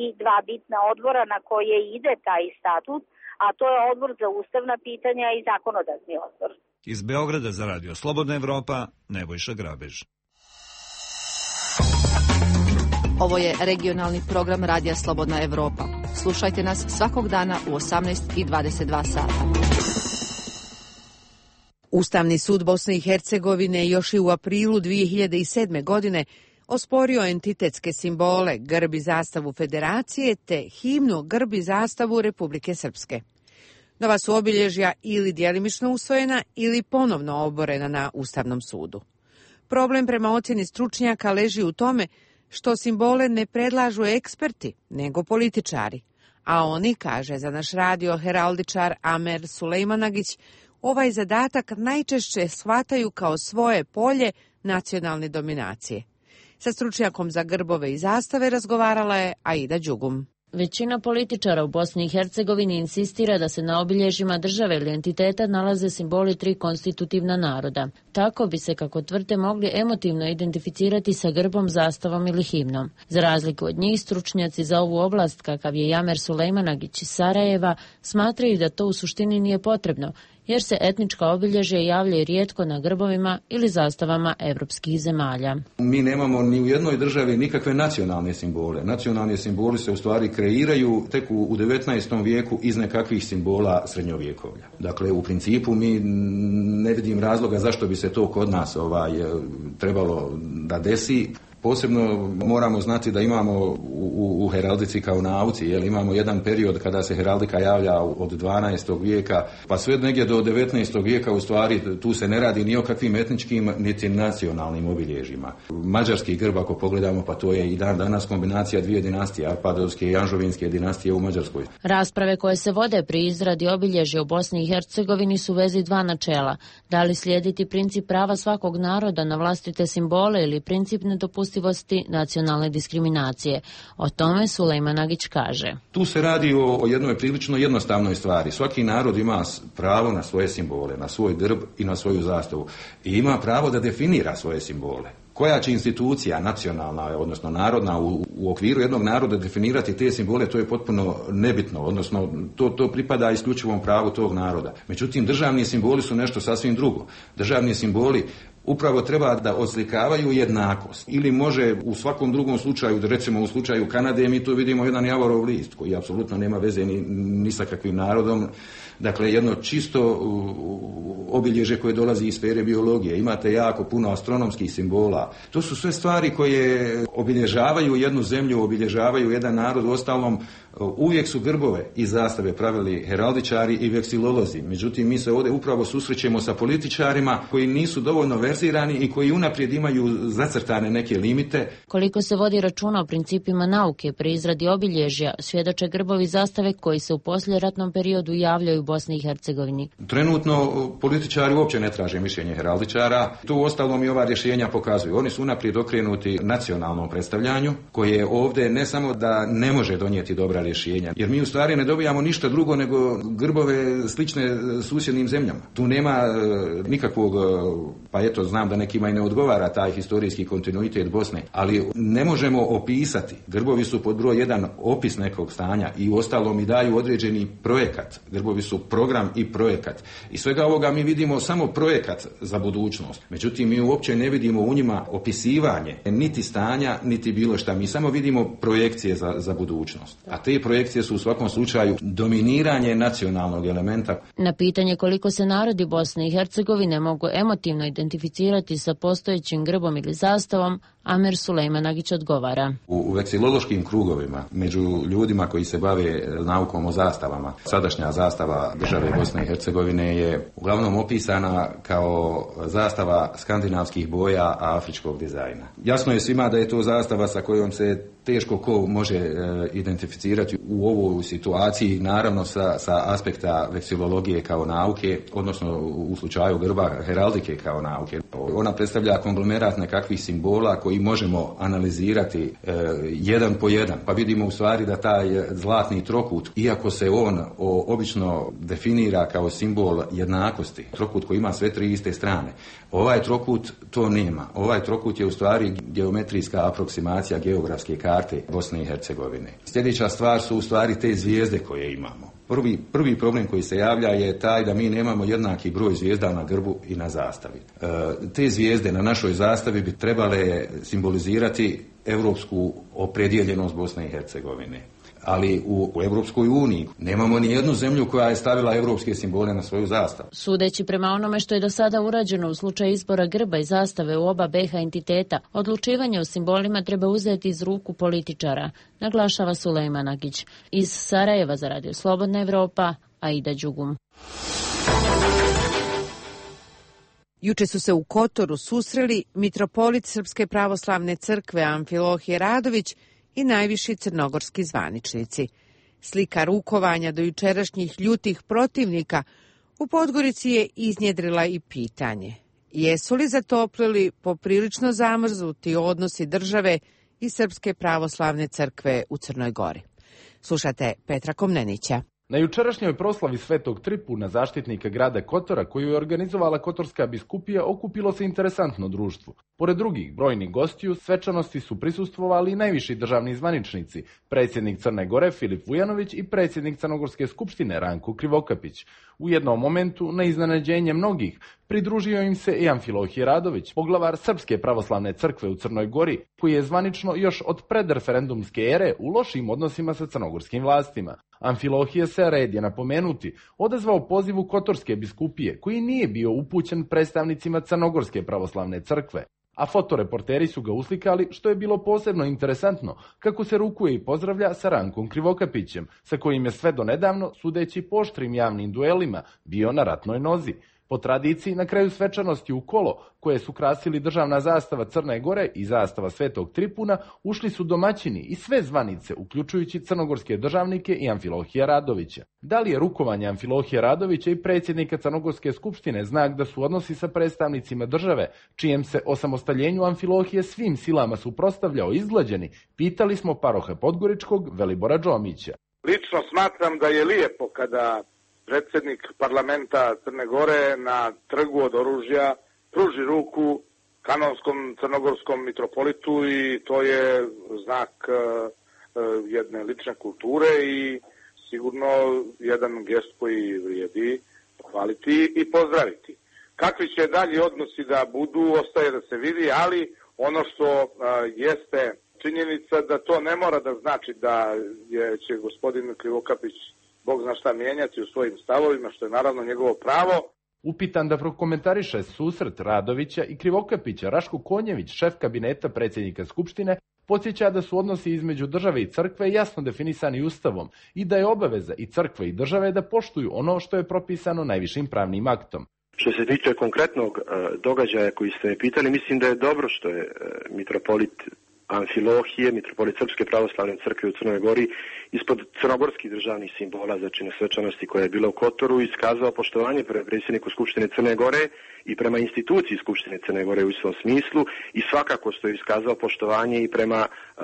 i dva bitna odbora na koje ide taj statut, a to je odbor za ustavna pitanja i zakonodavni odbor. Iz Beograda za Radio Slobodna Evropa, Nebojša Grabež. Ovo je regionalni program Radija Slobodna Evropa. Slušajte nas svakog dana u osamnaest i dvadeset dva sata. Ustavni sud Bosne i Hercegovine još i u aprilu dvije hiljade sedme. godine osporio entitetske simbole, grb i zastavu Federacije te himnu, grb i zastavu Republike Srpske. Nova su obilježja ili djelimično usvojena ili ponovno oborena na Ustavnom sudu. Problem prema ocjeni stručnjaka leži u tome što simbole ne predlažu eksperti, nego političari. A oni, kaže za naš radio heraldičar Amer Sulejmanagić, ovaj zadatak najčešće shvataju kao svoje polje nacionalne dominacije. Sa stručnjakom za grbove i zastave razgovarala je Aida Đugum. Većina političara u Bosni i Hercegovini insistira da se na obilježjima države ili entiteta nalaze simboli tri konstitutivna naroda. Tako bi se, kako tvrde, mogli emotivno identificirati sa grbom, zastavom ili himnom. Za razliku od njih, stručnjaci za ovu oblast, kakav je Jamer Sulejmanagić iz Sarajeva, smatraju da to u suštini nije potrebno, jer se etnička obilježja javljaju rijetko na grbovima ili zastavama evropskih zemalja. Mi nemamo ni u jednoj državi nikakve nacionalne simbole. Nacionalni simboli se u stvari kreiraju tek u devetnaestom vijeku iz nekakvih simbola srednjovjekovlja. Dakle, u principu mi ne vidim razloga zašto bi se to kod nas ovaj, trebalo da desi. Posebno moramo znati da imamo u, u, u heraldici kao nauci, jel, imamo jedan period kada se heraldika javlja od dvanaestog vijeka, pa sve negdje do devetnaestog vijeka, u stvari tu se ne radi ni o kakvim etničkim niti nacionalnim obilježjima. Mađarski grb, ako pogledamo, pa to je i dan danas kombinacija dvije dinastije, Arpadovske i Anžovinske dinastije u Mađarskoj. Rasprave koje se vode pri izradi obilježja u Bosni i Hercegovini su u vezi dva načela. Da li slijediti princip prava svakog naroda na vlastite simbole ili princip nedopustivosti nacionalne diskriminacije. O tome Sulejmanagić kaže. Tu se radi o, o jednoj prilično jednostavnoj stvari. Svaki narod ima pravo na svoje simbole, na svoj grb i na svoju zastavu. I ima pravo da definira svoje simbole. Koja će institucija nacionalna, odnosno narodna, u, u okviru jednog naroda definirati te simbole, to je potpuno nebitno, odnosno to, to pripada isključivom pravu tog naroda. Međutim, državni simboli su nešto sasvim drugo. Državni simboli upravo treba da oslikavaju jednakost. Ili može u svakom drugom slučaju, recimo u slučaju Kanade, mi tu vidimo jedan javorov list koji apsolutno nema veze ni, ni sa kakvim narodom. Dakle, jedno čisto obilježje koje dolazi iz sfere biologije. Imate jako puno astronomskih simbola. To su sve stvari koje obilježavaju jednu zemlju, obilježavaju jedan narod. Uostalom, uvijek su grbove i zastave pravili heraldičari i veksilolozi. Međutim, mi se ovdje upravo susrećemo sa političarima koji nisu dovoljno verzirani i koji unaprijed imaju zacrtane neke limite. Koliko se vodi računa o principima nauke pri izradi obilježja, svjedoče grbovi zastave koji se u poslijeratnom periodu javljaju u Bosni i Hercegovini. Trenutno političari uopće ne traže mišljenje heraldičara. Tu uostalom i ova rješenja pokazuju. Oni su unaprijed okrenuti nacionalnom predstavljanju koje ovdje ne samo da ne može donijeti dobra rješenja, jer mi u stvari ne dobijamo ništa drugo nego grbove slične susjednim zemljama. Tu nema nikakvog pa eto, znam da nekima i ne odgovara taj historijski kontinuitet Bosne, ali ne možemo opisati. Grbovi su pod broj jedan opis nekog stanja i uostalom i daju određeni projekat. Grbovi su program i projekat. I svega ovoga mi vidimo samo projekat za budućnost. Međutim, mi uopće ne vidimo u njima opisivanje niti stanja, niti bilo šta. Mi samo vidimo projekcije za, za budućnost. A te projekcije su u svakom slučaju dominiranje nacionalnog elementa. Na pitanje koliko se narodi Bosne i Hercegovine mogu emotivno identificirati sa postojećim grbom ili zastavom, Amer Sulejmanagić odgovara. U, u veksilološkim krugovima, među ljudima koji se bave naukom o zastavama, sadašnja zastava države Bosne i Hercegovine je uglavnom opisana kao zastava skandinavskih boja, a afričkog dizajna. Jasno je svima da je to zastava sa kojom se teško ko može e, identificirati u ovoj situaciji, naravno sa, sa aspekta veksilologije kao nauke, odnosno u slučaju grba heraldike kao nauke. Ona predstavlja konglomerat nekakvih simbola koji možemo analizirati e, jedan po jedan, pa vidimo u stvari da taj zlatni trokut, iako se on o, obično definira kao simbol jednakosti, trokut koji ima sve tri iste strane, ovaj trokut to nema. Ovaj trokut je u stvari geometrijska aproksimacija geografske karte Bosne i Hercegovine. Sljedeća stvar su u stvari te zvijezde koje imamo. Prvi, prvi problem koji se javlja je taj da mi nemamo jednaki broj zvijezda na grbu i na zastavi. E, te zvijezde na našoj zastavi bi trebale simbolizirati europsku opredjeljenost Bosne i Hercegovine. Ali u, u Europskoj uniji nemamo ni jednu zemlju koja je stavila europske simbole na svoju zastavu. Sudeći prema onome što je do sada urađeno u slučaju izbora grba i zastave u oba be ha entiteta, odlučivanje o simbolima treba uzeti iz ruku političara, naglašava Sulejmanagić. Iz Sarajeva za Radio Slobodna Evropa, Aida Đugum. Juče su se u Kotoru susreli mitropolit Srpske pravoslavne crkve Amfilohije Radović i najviši crnogorski zvaničnici. Slika rukovanja do jučerašnjih ljutih protivnika u Podgorici je iznjedrila i pitanje: jesu li zatoplili poprilično zamrznuti odnosi države i Srpske pravoslavne crkve u Crnoj Gori? Slušate Petra Komnenića. Na jučerašnjoj proslavi Svetog Tripuna, zaštitnika grada Kotora, koju je organizovala Kotorska biskupija, okupilo se interesantno društvo. Pored drugih brojnih gostiju, svečanosti su prisustvovali i najviši državni zvaničnici, predsjednik Crne Gore Filip Vujanović i predsjednik Crnogorske skupštine Ranko Krivokapić. U jednom momentu, na iznenađenje mnogih, pridružio im se i Amfilohije Radović, poglavar Srpske pravoslavne crkve u Crnoj Gori, koji je zvanično još od predreferendumske ere u lošim odnosima sa crnogorskim vlastima. Amfilohije se, red je napomenuti, odazvao pozivu Kotorske biskupije, koji nije bio upućen predstavnicima Crnogorske pravoslavne crkve. A fotoreporteri su ga uslikali, što je bilo posebno interesantno, kako se rukuje i pozdravlja sa Rankom Krivokapićem, sa kojim je sve do nedavno, sudeći po oštrim javnim duelima, bio na ratnoj nozi. Po tradiciji, na kraju svečanosti u kolo, koje su krasili državna zastava Crne Gore i zastava Svetog Tripuna, ušli su domaćini i sve zvanice, uključujući crnogorske državnike i Amfilohija Radovića. Da li je rukovanje Amfilohija Radovića i predsjednika Crnogorske skupštine znak da su odnosi sa predstavnicima države, čijem se osamostaljenju Amfilohije svim silama suprotstavljao izglađeni, pitali smo paroha Podgoričkog Velibora Džomića. Lično smatram da je lijepo kada predsjednik parlamenta Crne Gore na trgu od oružja pruži ruku kanonskom crnogorskom mitropolitu i to je znak uh, jedne lične kulture i sigurno jedan gest koji vrijedi pohvaliti i pozdraviti. Kakvi će dalji odnosi da budu, ostaje da se vidi, ali ono što uh, jeste činjenica da to ne mora da znači da je, će gospodin Krivokapić Bog zna šta mijenjati u svojim stavovima, što je naravno njegovo pravo. Upitan da prokomentariše susret Radovića i Krivokapića, Raško Konjević, šef kabineta predsjednika Skupštine, podsjeća da su odnosi između države i crkve jasno definisani Ustavom i da je obaveza i crkve i države da poštuju ono što je propisano najvišim pravnim aktom. Što se tiče konkretnog uh, događaja koji ste me pitali, mislim da je dobro što je uh, mitropolit Amfilohije, mitropolit Srpske pravoslavne crkve u Crnoj Gori, ispod crnogorskih državnih simbola, znači na svečanosti koja je bila u Kotoru, iskazao poštovanje prema predsjedniku Skupštine Crne Gore i prema instituciji Skupštine Crne Gore u istom smislu i svakako što je iskazao poštovanje i prema uh,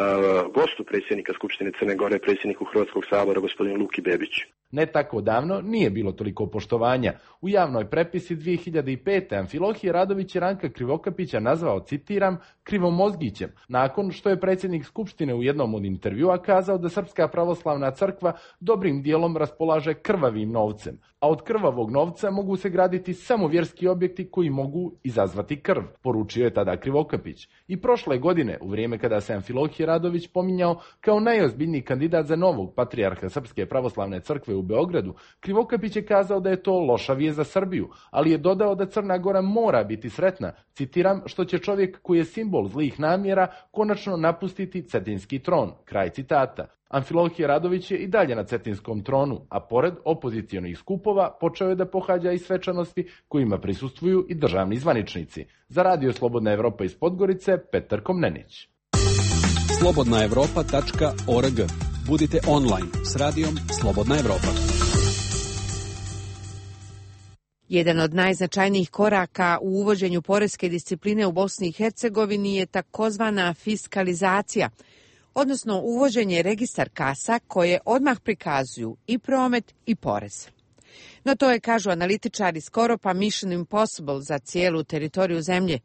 gostu predsjednika Skupštine Crne Gore, predsjedniku Hrvatskog sabora, gospodinu Luki Bebiću. Ne tako davno nije bilo toliko poštovanja. U javnoj prepisi dvije hiljade pete. Amfilohije Radović je Ranka Krivokapića nazvao, citiram, krivomozgićem, nakon što je predsjednik Skupštine u jednom od intervjua kazao da Srpska pravoslavna crkva dobrim dijelom raspolaže krvavim novcem, a od krvavog novca mogu se graditi samo vjerski objekti koji mogu izazvati krv, poručio je tada Krivokapić. I prošle godine, u vrijeme kada se Amfilohije Radović pominjao kao najozbiljniji kandidat za novog patrijarha Srpske pravoslavne crkve u Beogradu, Krivokapić je kazao da je to loša vijest za Srbiju, ali je dodao da Crna Gora mora biti sretna, citiram, što će čovjek koji je simbol zlih namjera konačno napustiti cetinski tron, kraj citata. Amfilohije Radović je i dalje na cetinskom tronu, a pored opozicionih skupova počeo je da pohađa i svečanosti kojima prisustvuju i državni zvaničnici. Za Radio Slobodna Evropa iz Podgorice, Petar Komnenić. slobodna evropa tačka org. Budite online s radijom Slobodna Evropa. Jedan od najznačajnijih koraka u uvođenju poreske discipline u Bosni i Hercegovini je takozvana fiskalizacija, odnosno uvođenje registar kasa koje odmah prikazuju i promet i porez. No to je, kažu analitičari, skoro pa mission impossible za cijelu teritoriju zemlje.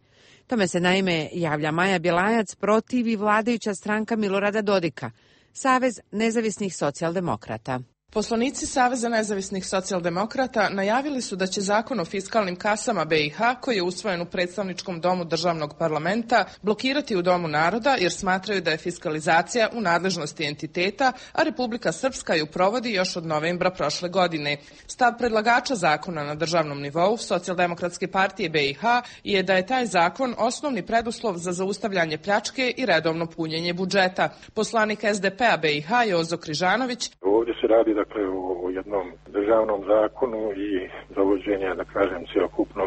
Tome se naime javlja Maja Bjelajac, protivi vladajuća stranka Milorada Dodika, Savez nezavisnih socijaldemokrata. Poslanici Saveza nezavisnih socijaldemokrata najavili su da će zakon o fiskalnim kasama B i H, koji je usvojen u predstavničkom domu državnog parlamenta, blokirati u Domu naroda jer smatraju da je fiskalizacija u nadležnosti entiteta, a Republika Srpska ju provodi još od novembra prošle godine. Stav predlagača zakona na državnom nivou Socijaldemokratske partije B i H je da je taj zakon osnovni preduslov za zaustavljanje pljačke i redovno punjenje budžeta. Poslanik S D P-a B i H Jozo Križanović: ovdje se radi dakle o jednom državnom zakonu i zavođenja, da kažem, cjelokupno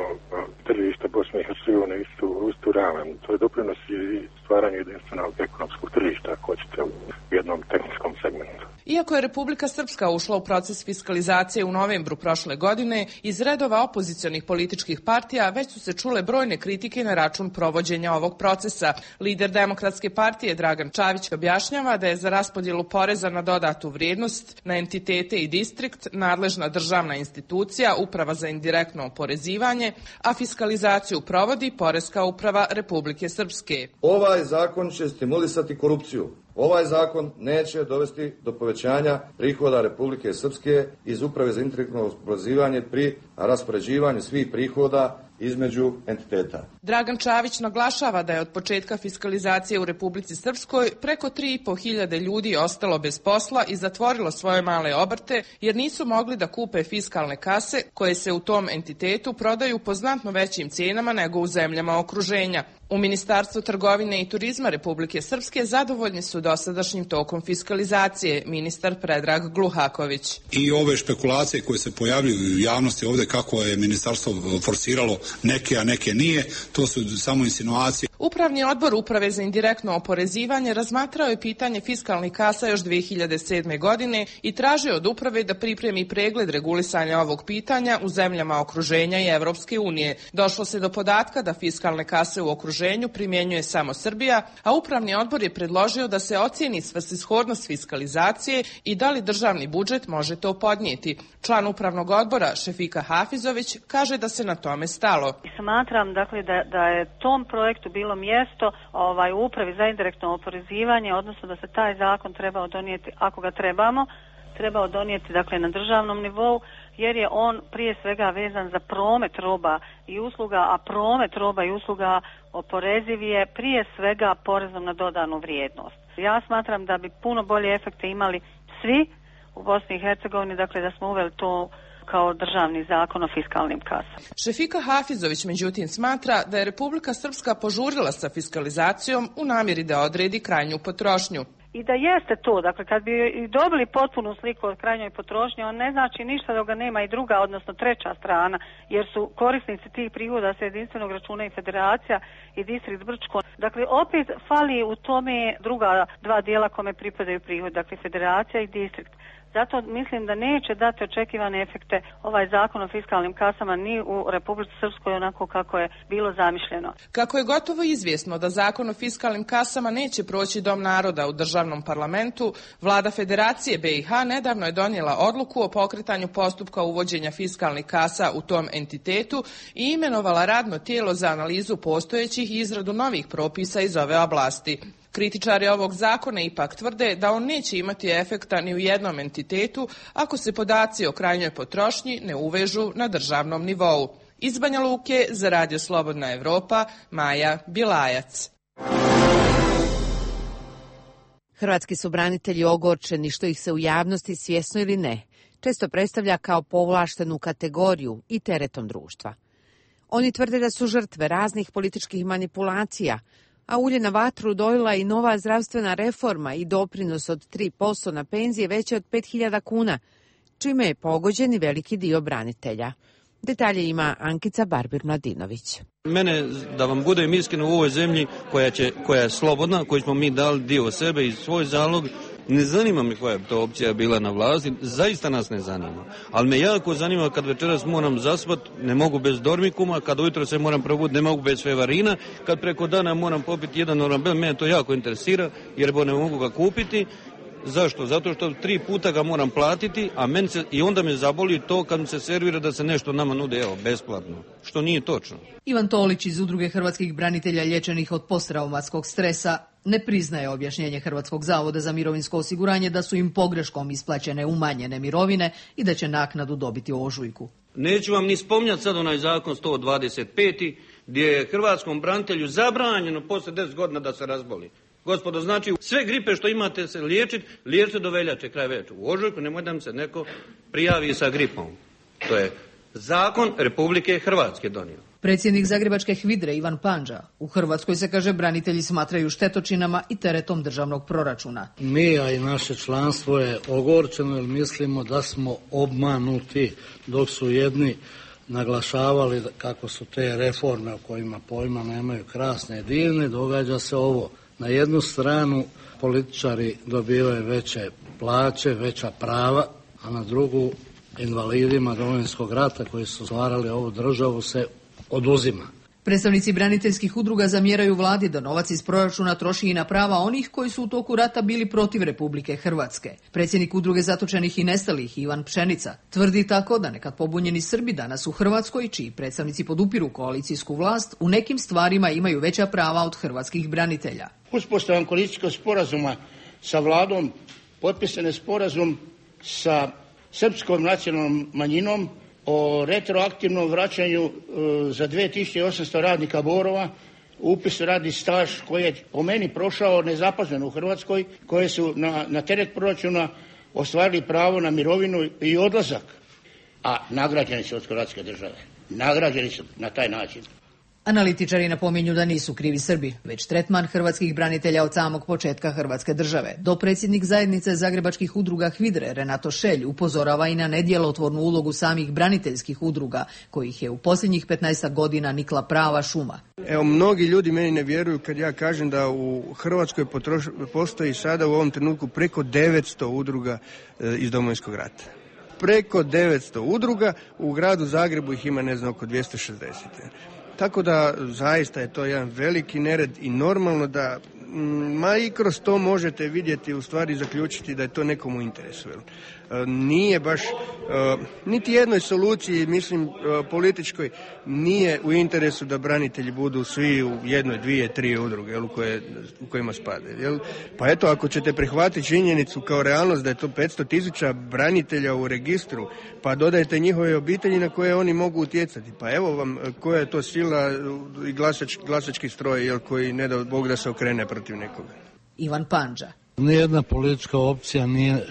tržišta Bosne i Hercegovine istu, istu ravan. To je doprinos i stvaranju jedinstvenog ekonomskog tržišta, ako hoćete, u jednom tehničkom segmentu. Iako je Republika Srpska ušla u proces fiskalizacije u novembru prošle godine, iz redova opozicionih političkih partija već su se čule brojne kritike na račun provođenja ovog procesa. Lider Demokratske partije Dragan Čavić objašnjava da je za raspodjelu poreza na dodatu vrijednost na entitete i distrikt nadležna državna institucija, Uprava za indirektno oporezivanje, a fiskalizaciju provodi Poreska uprava Republike Srpske. Ovaj zakon će stimulisati korupciju. Ovaj zakon neće dovesti do povećanja prihoda Republike Srpske iz Uprave za indirektno oporezivanje pri raspoređivanju svih prihoda između entiteta. Dragan Čavić naglašava da je od početka fiskalizacije u Republici Srpskoj preko tri i po hiljade ljudi ostalo bez posla i zatvorilo svoje male obrte jer nisu mogli da kupe fiskalne kase koje se u tom entitetu prodaju po znatno većim cijenama nego u zemljama okruženja. U Ministarstvu trgovine i turizma Republike Srpske zadovoljni su dosadašnjim tokom fiskalizacije, ministar Predrag Gluhaković. I ove špekulacije koje se pojavljuju u javnosti ovdje kako je ministarstvo forsiralo neke, a neke nije, to su samo insinuacije. Upravni odbor Uprave za indirektno oporezivanje razmatrao je pitanje fiskalnih kasa još dvije hiljade sedme. godine i tražio od uprave da pripremi pregled regulisanja ovog pitanja u zemljama okruženja i Evropske unije. Došlo se do podatka da fiskalne kase u okruženju primjenjuje samo Srbija, a upravni odbor je predložio da se ocijeni svrsishodnost fiskalizacije i da li državni budžet može to podnijeti. Član upravnog odbora Šefika Hafizović kaže da se na tome stalo. Smatram dakle da, da je tom projektu bilo mjesto ovaj, u Upravi za indirektno oporezivanje, odnosno da se taj zakon trebao donijeti, ako ga trebamo, trebao donijeti dakle na državnom nivou, jer je on prije svega vezan za promet roba i usluga, a promet roba i usluga oporeziv je prije svega porezom na dodanu vrijednost. Ja smatram da bi puno bolje efekte imali svi u Bosni i Hercegovini, dakle da smo uveli to kao državni zakon o fiskalnim kasama. Šefika Hafizović međutim smatra da je Republika Srpska požurila sa fiskalizacijom u namjeri da odredi krajnju potrošnju. I da jeste to, dakle kad bi dobili potpunu sliku od krajnjoj potrošnje, on ne znači ništa dok ga nema i druga, odnosno treća strana, jer su korisnici tih prihoda sa jedinstvenog računa i federacija i distrikt Brčko. Dakle, opet fali u tome druga dva dijela kome pripadaju prihod, dakle federacija i distrikt. Zato mislim da neće dati očekivane efekte ovaj zakon o fiskalnim kasama ni u Republici Srpskoj onako kako je bilo zamišljeno. Kako je gotovo izvjesno da zakon o fiskalnim kasama neće proći Dom naroda u državnom parlamentu, vlada Federacije B i H nedavno je donijela odluku o pokretanju postupka uvođenja fiskalnih kasa u tom entitetu i imenovala radno tijelo za analizu postojećih i izradu novih propisa iz ove oblasti. Kritičari ovog zakona ipak tvrde da on neće imati efekta ni u jednom entitetu ako se podaci o krajnjoj potrošnji ne uvežu na državnom nivou. Iz Banja Luke za Radio Slobodna Evropa, Maja Bilajac. Hrvatski su branitelji ogorčeni što ih se u javnosti, svjesno ili ne, često predstavlja kao povlaštenu kategoriju i teretom društva. Oni tvrde da su žrtve raznih političkih manipulacija, a ulje na vatru dojela i nova zdravstvena reforma i doprinos od tri posto na penzije veće od pet hiljada kuna, čime je pogođen i veliki dio branitelja. Detalje ima Ankica Barbir-Mladinović. Mene, da vam budem iskren, u ovoj zemlji koja, će, koja je slobodna, koju smo mi dali dio sebe i svoj zalog, ne zanima me koja je to opcija bila na vlasti, zaista nas ne zanima. Ali me jako zanima kad večeras moram zaspat, ne mogu bez dormikuma, kad ujutro se moram probuditi, ne mogu bez fevarina, kad preko dana moram popiti jedan orambel, mene to jako interesira jer bo ne mogu ga kupiti. Zašto? Zato što tri puta ga moram platiti, a meni se, i onda me zaboli to kad mi se servira da se nešto nama nude, evo, besplatno, što nije točno. Ivan Tolić iz Udruge hrvatskih branitelja liječenih od posttraumatskog stresa ne priznaje objašnjenje Hrvatskog zavoda za mirovinsko osiguranje da su im pogreškom isplaćene umanjene mirovine i da će naknadu dobiti u ožujku. Neću vam ni spominjati sad onaj zakon sto dvadeset pet gdje je hrvatskom branitelju zabranjeno poslije deset godina da se razboli. Gospodo, znači sve gripe što imate se liječiti, liječite do veljače, kraj veljače. U ožujku nemoj da mi se neko prijavi sa gripom. To je zakon Republike Hrvatske donio. Predsjednik Zagrebačke HVIDRE Ivan Pandža, u Hrvatskoj se, kaže, branitelji smatraju štetočinama i teretom državnog proračuna. Mi, a i naše članstvo je ogorčeno jer mislimo da smo obmanuti, dok su jedni naglašavali kako su te reforme o kojima pojma nemaju krasne i divne, događa se ovo. Na jednu stranu političari dobivaju veće plaće, veća prava, a na drugu invalidima Domovinskog rata koji su stvarali ovu državu se oduzima. Predstavnici braniteljskih udruga zamjeraju vladi da novac iz proračuna troši i na prava onih koji su u toku rata bili protiv Republike Hrvatske. Predsjednik udruge zatočenih i nestalih Ivan Pšenica tvrdi tako da nekad pobunjeni Srbi danas u Hrvatskoj, čiji predstavnici podupiru koalicijsku vlast, u nekim stvarima imaju veća prava od hrvatskih branitelja. Uspostavom koalicijskog sporazuma sa vladom potpisan je sporazum sa srpskom nacionalnom manjinom o retroaktivnom vraćanju e, za dvije tisuće osamsto radnika Borova, upis radni staž koji je po meni prošao nezapaženo u Hrvatskoj, koje su na, na teret proračuna ostvarili pravo na mirovinu i odlazak, a nagrađeni su od Hrvatske države. Nagrađeni su na taj način. Analitičari napominju da nisu krivi Srbi, već tretman hrvatskih branitelja od samog početka Hrvatske države. Dopredsjednik zajednice zagrebačkih udruga HVIDRE Renato Šelj upozorava i na nedjelotvornu ulogu samih braniteljskih udruga, kojih je u posljednjih petnaest godina nikla prava šuma. Evo, mnogi ljudi meni ne vjeruju kad ja kažem da u Hrvatskoj potroš, postoji sada u ovom trenutku preko devetsto udruga e, iz Domovinskog rata. Preko devetsto udruga, u gradu Zagrebu ih ima ne znam oko dvjesto šezdeset. Tako da zaista je to jedan veliki nered i normalno da ma i kroz to možete vidjeti, u stvari zaključiti da je to nekomu interesu. Nije baš, niti jednoj soluciji, mislim, političkoj, nije u interesu da branitelji budu svi u jednoj, dvije, tri udruge u, koje, u kojima spade. Jel? Pa eto, ako ćete prihvatiti činjenicu kao realnost da je to petsto tisuća branitelja u registru, pa dodajte njihove obitelji na koje oni mogu utjecati. Pa evo vam koja je to sila i glasač, glasački stroj, jel, koji ne da Bog da se okrene protiv nekoga. Ivan Pandža. Nijedna politička opcija nije e,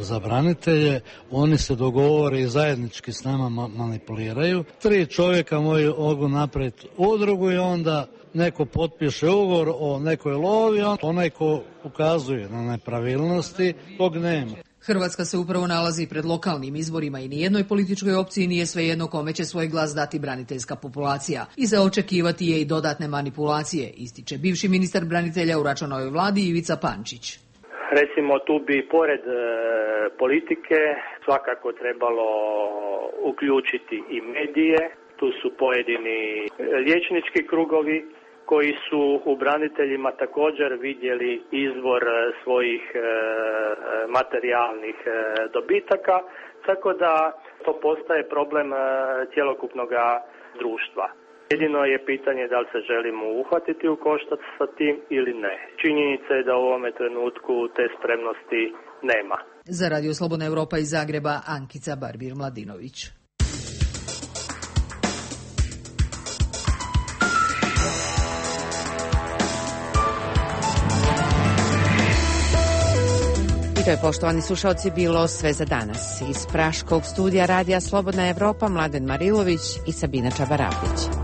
za branitelje, oni se dogovore i zajednički s nama ma- manipuliraju. Tri čovjeka mogu napraviti udrugu i onda neko potpiše ugovor o nekoj lovi, on, onaj ko ukazuje na nepravilnosti, tog nema. Hrvatska se upravo nalazi pred lokalnim izborima i nijednoj političkoj opciji nije svejedno kome će svoj glas dati braniteljska populacija. I za očekivati je i dodatne manipulacije, ističe bivši ministar branitelja u Račanovoj vladi Ivica Pančić. Recimo tu bi pored e, politike svakako trebalo uključiti i medije. Tu su pojedini liječnički krugovi koji su u braniteljima također vidjeli izvor svojih e, materijalnih e, dobitaka, tako da to postaje problem e, cjelokupnog društva. Jedino je pitanje da li se želimo uhvatiti u koštac sa tim ili ne. Činjenica je da u ovome trenutku te spremnosti nema. Za Radio Slobodna Evropa iz Zagreba, Ankica Barbir-Mladinović. To je, poštovani slušalci, bilo sve za danas. Iz praškog studija Radija Slobodna Evropa Mladen Marilović i Sabina Čabarapić.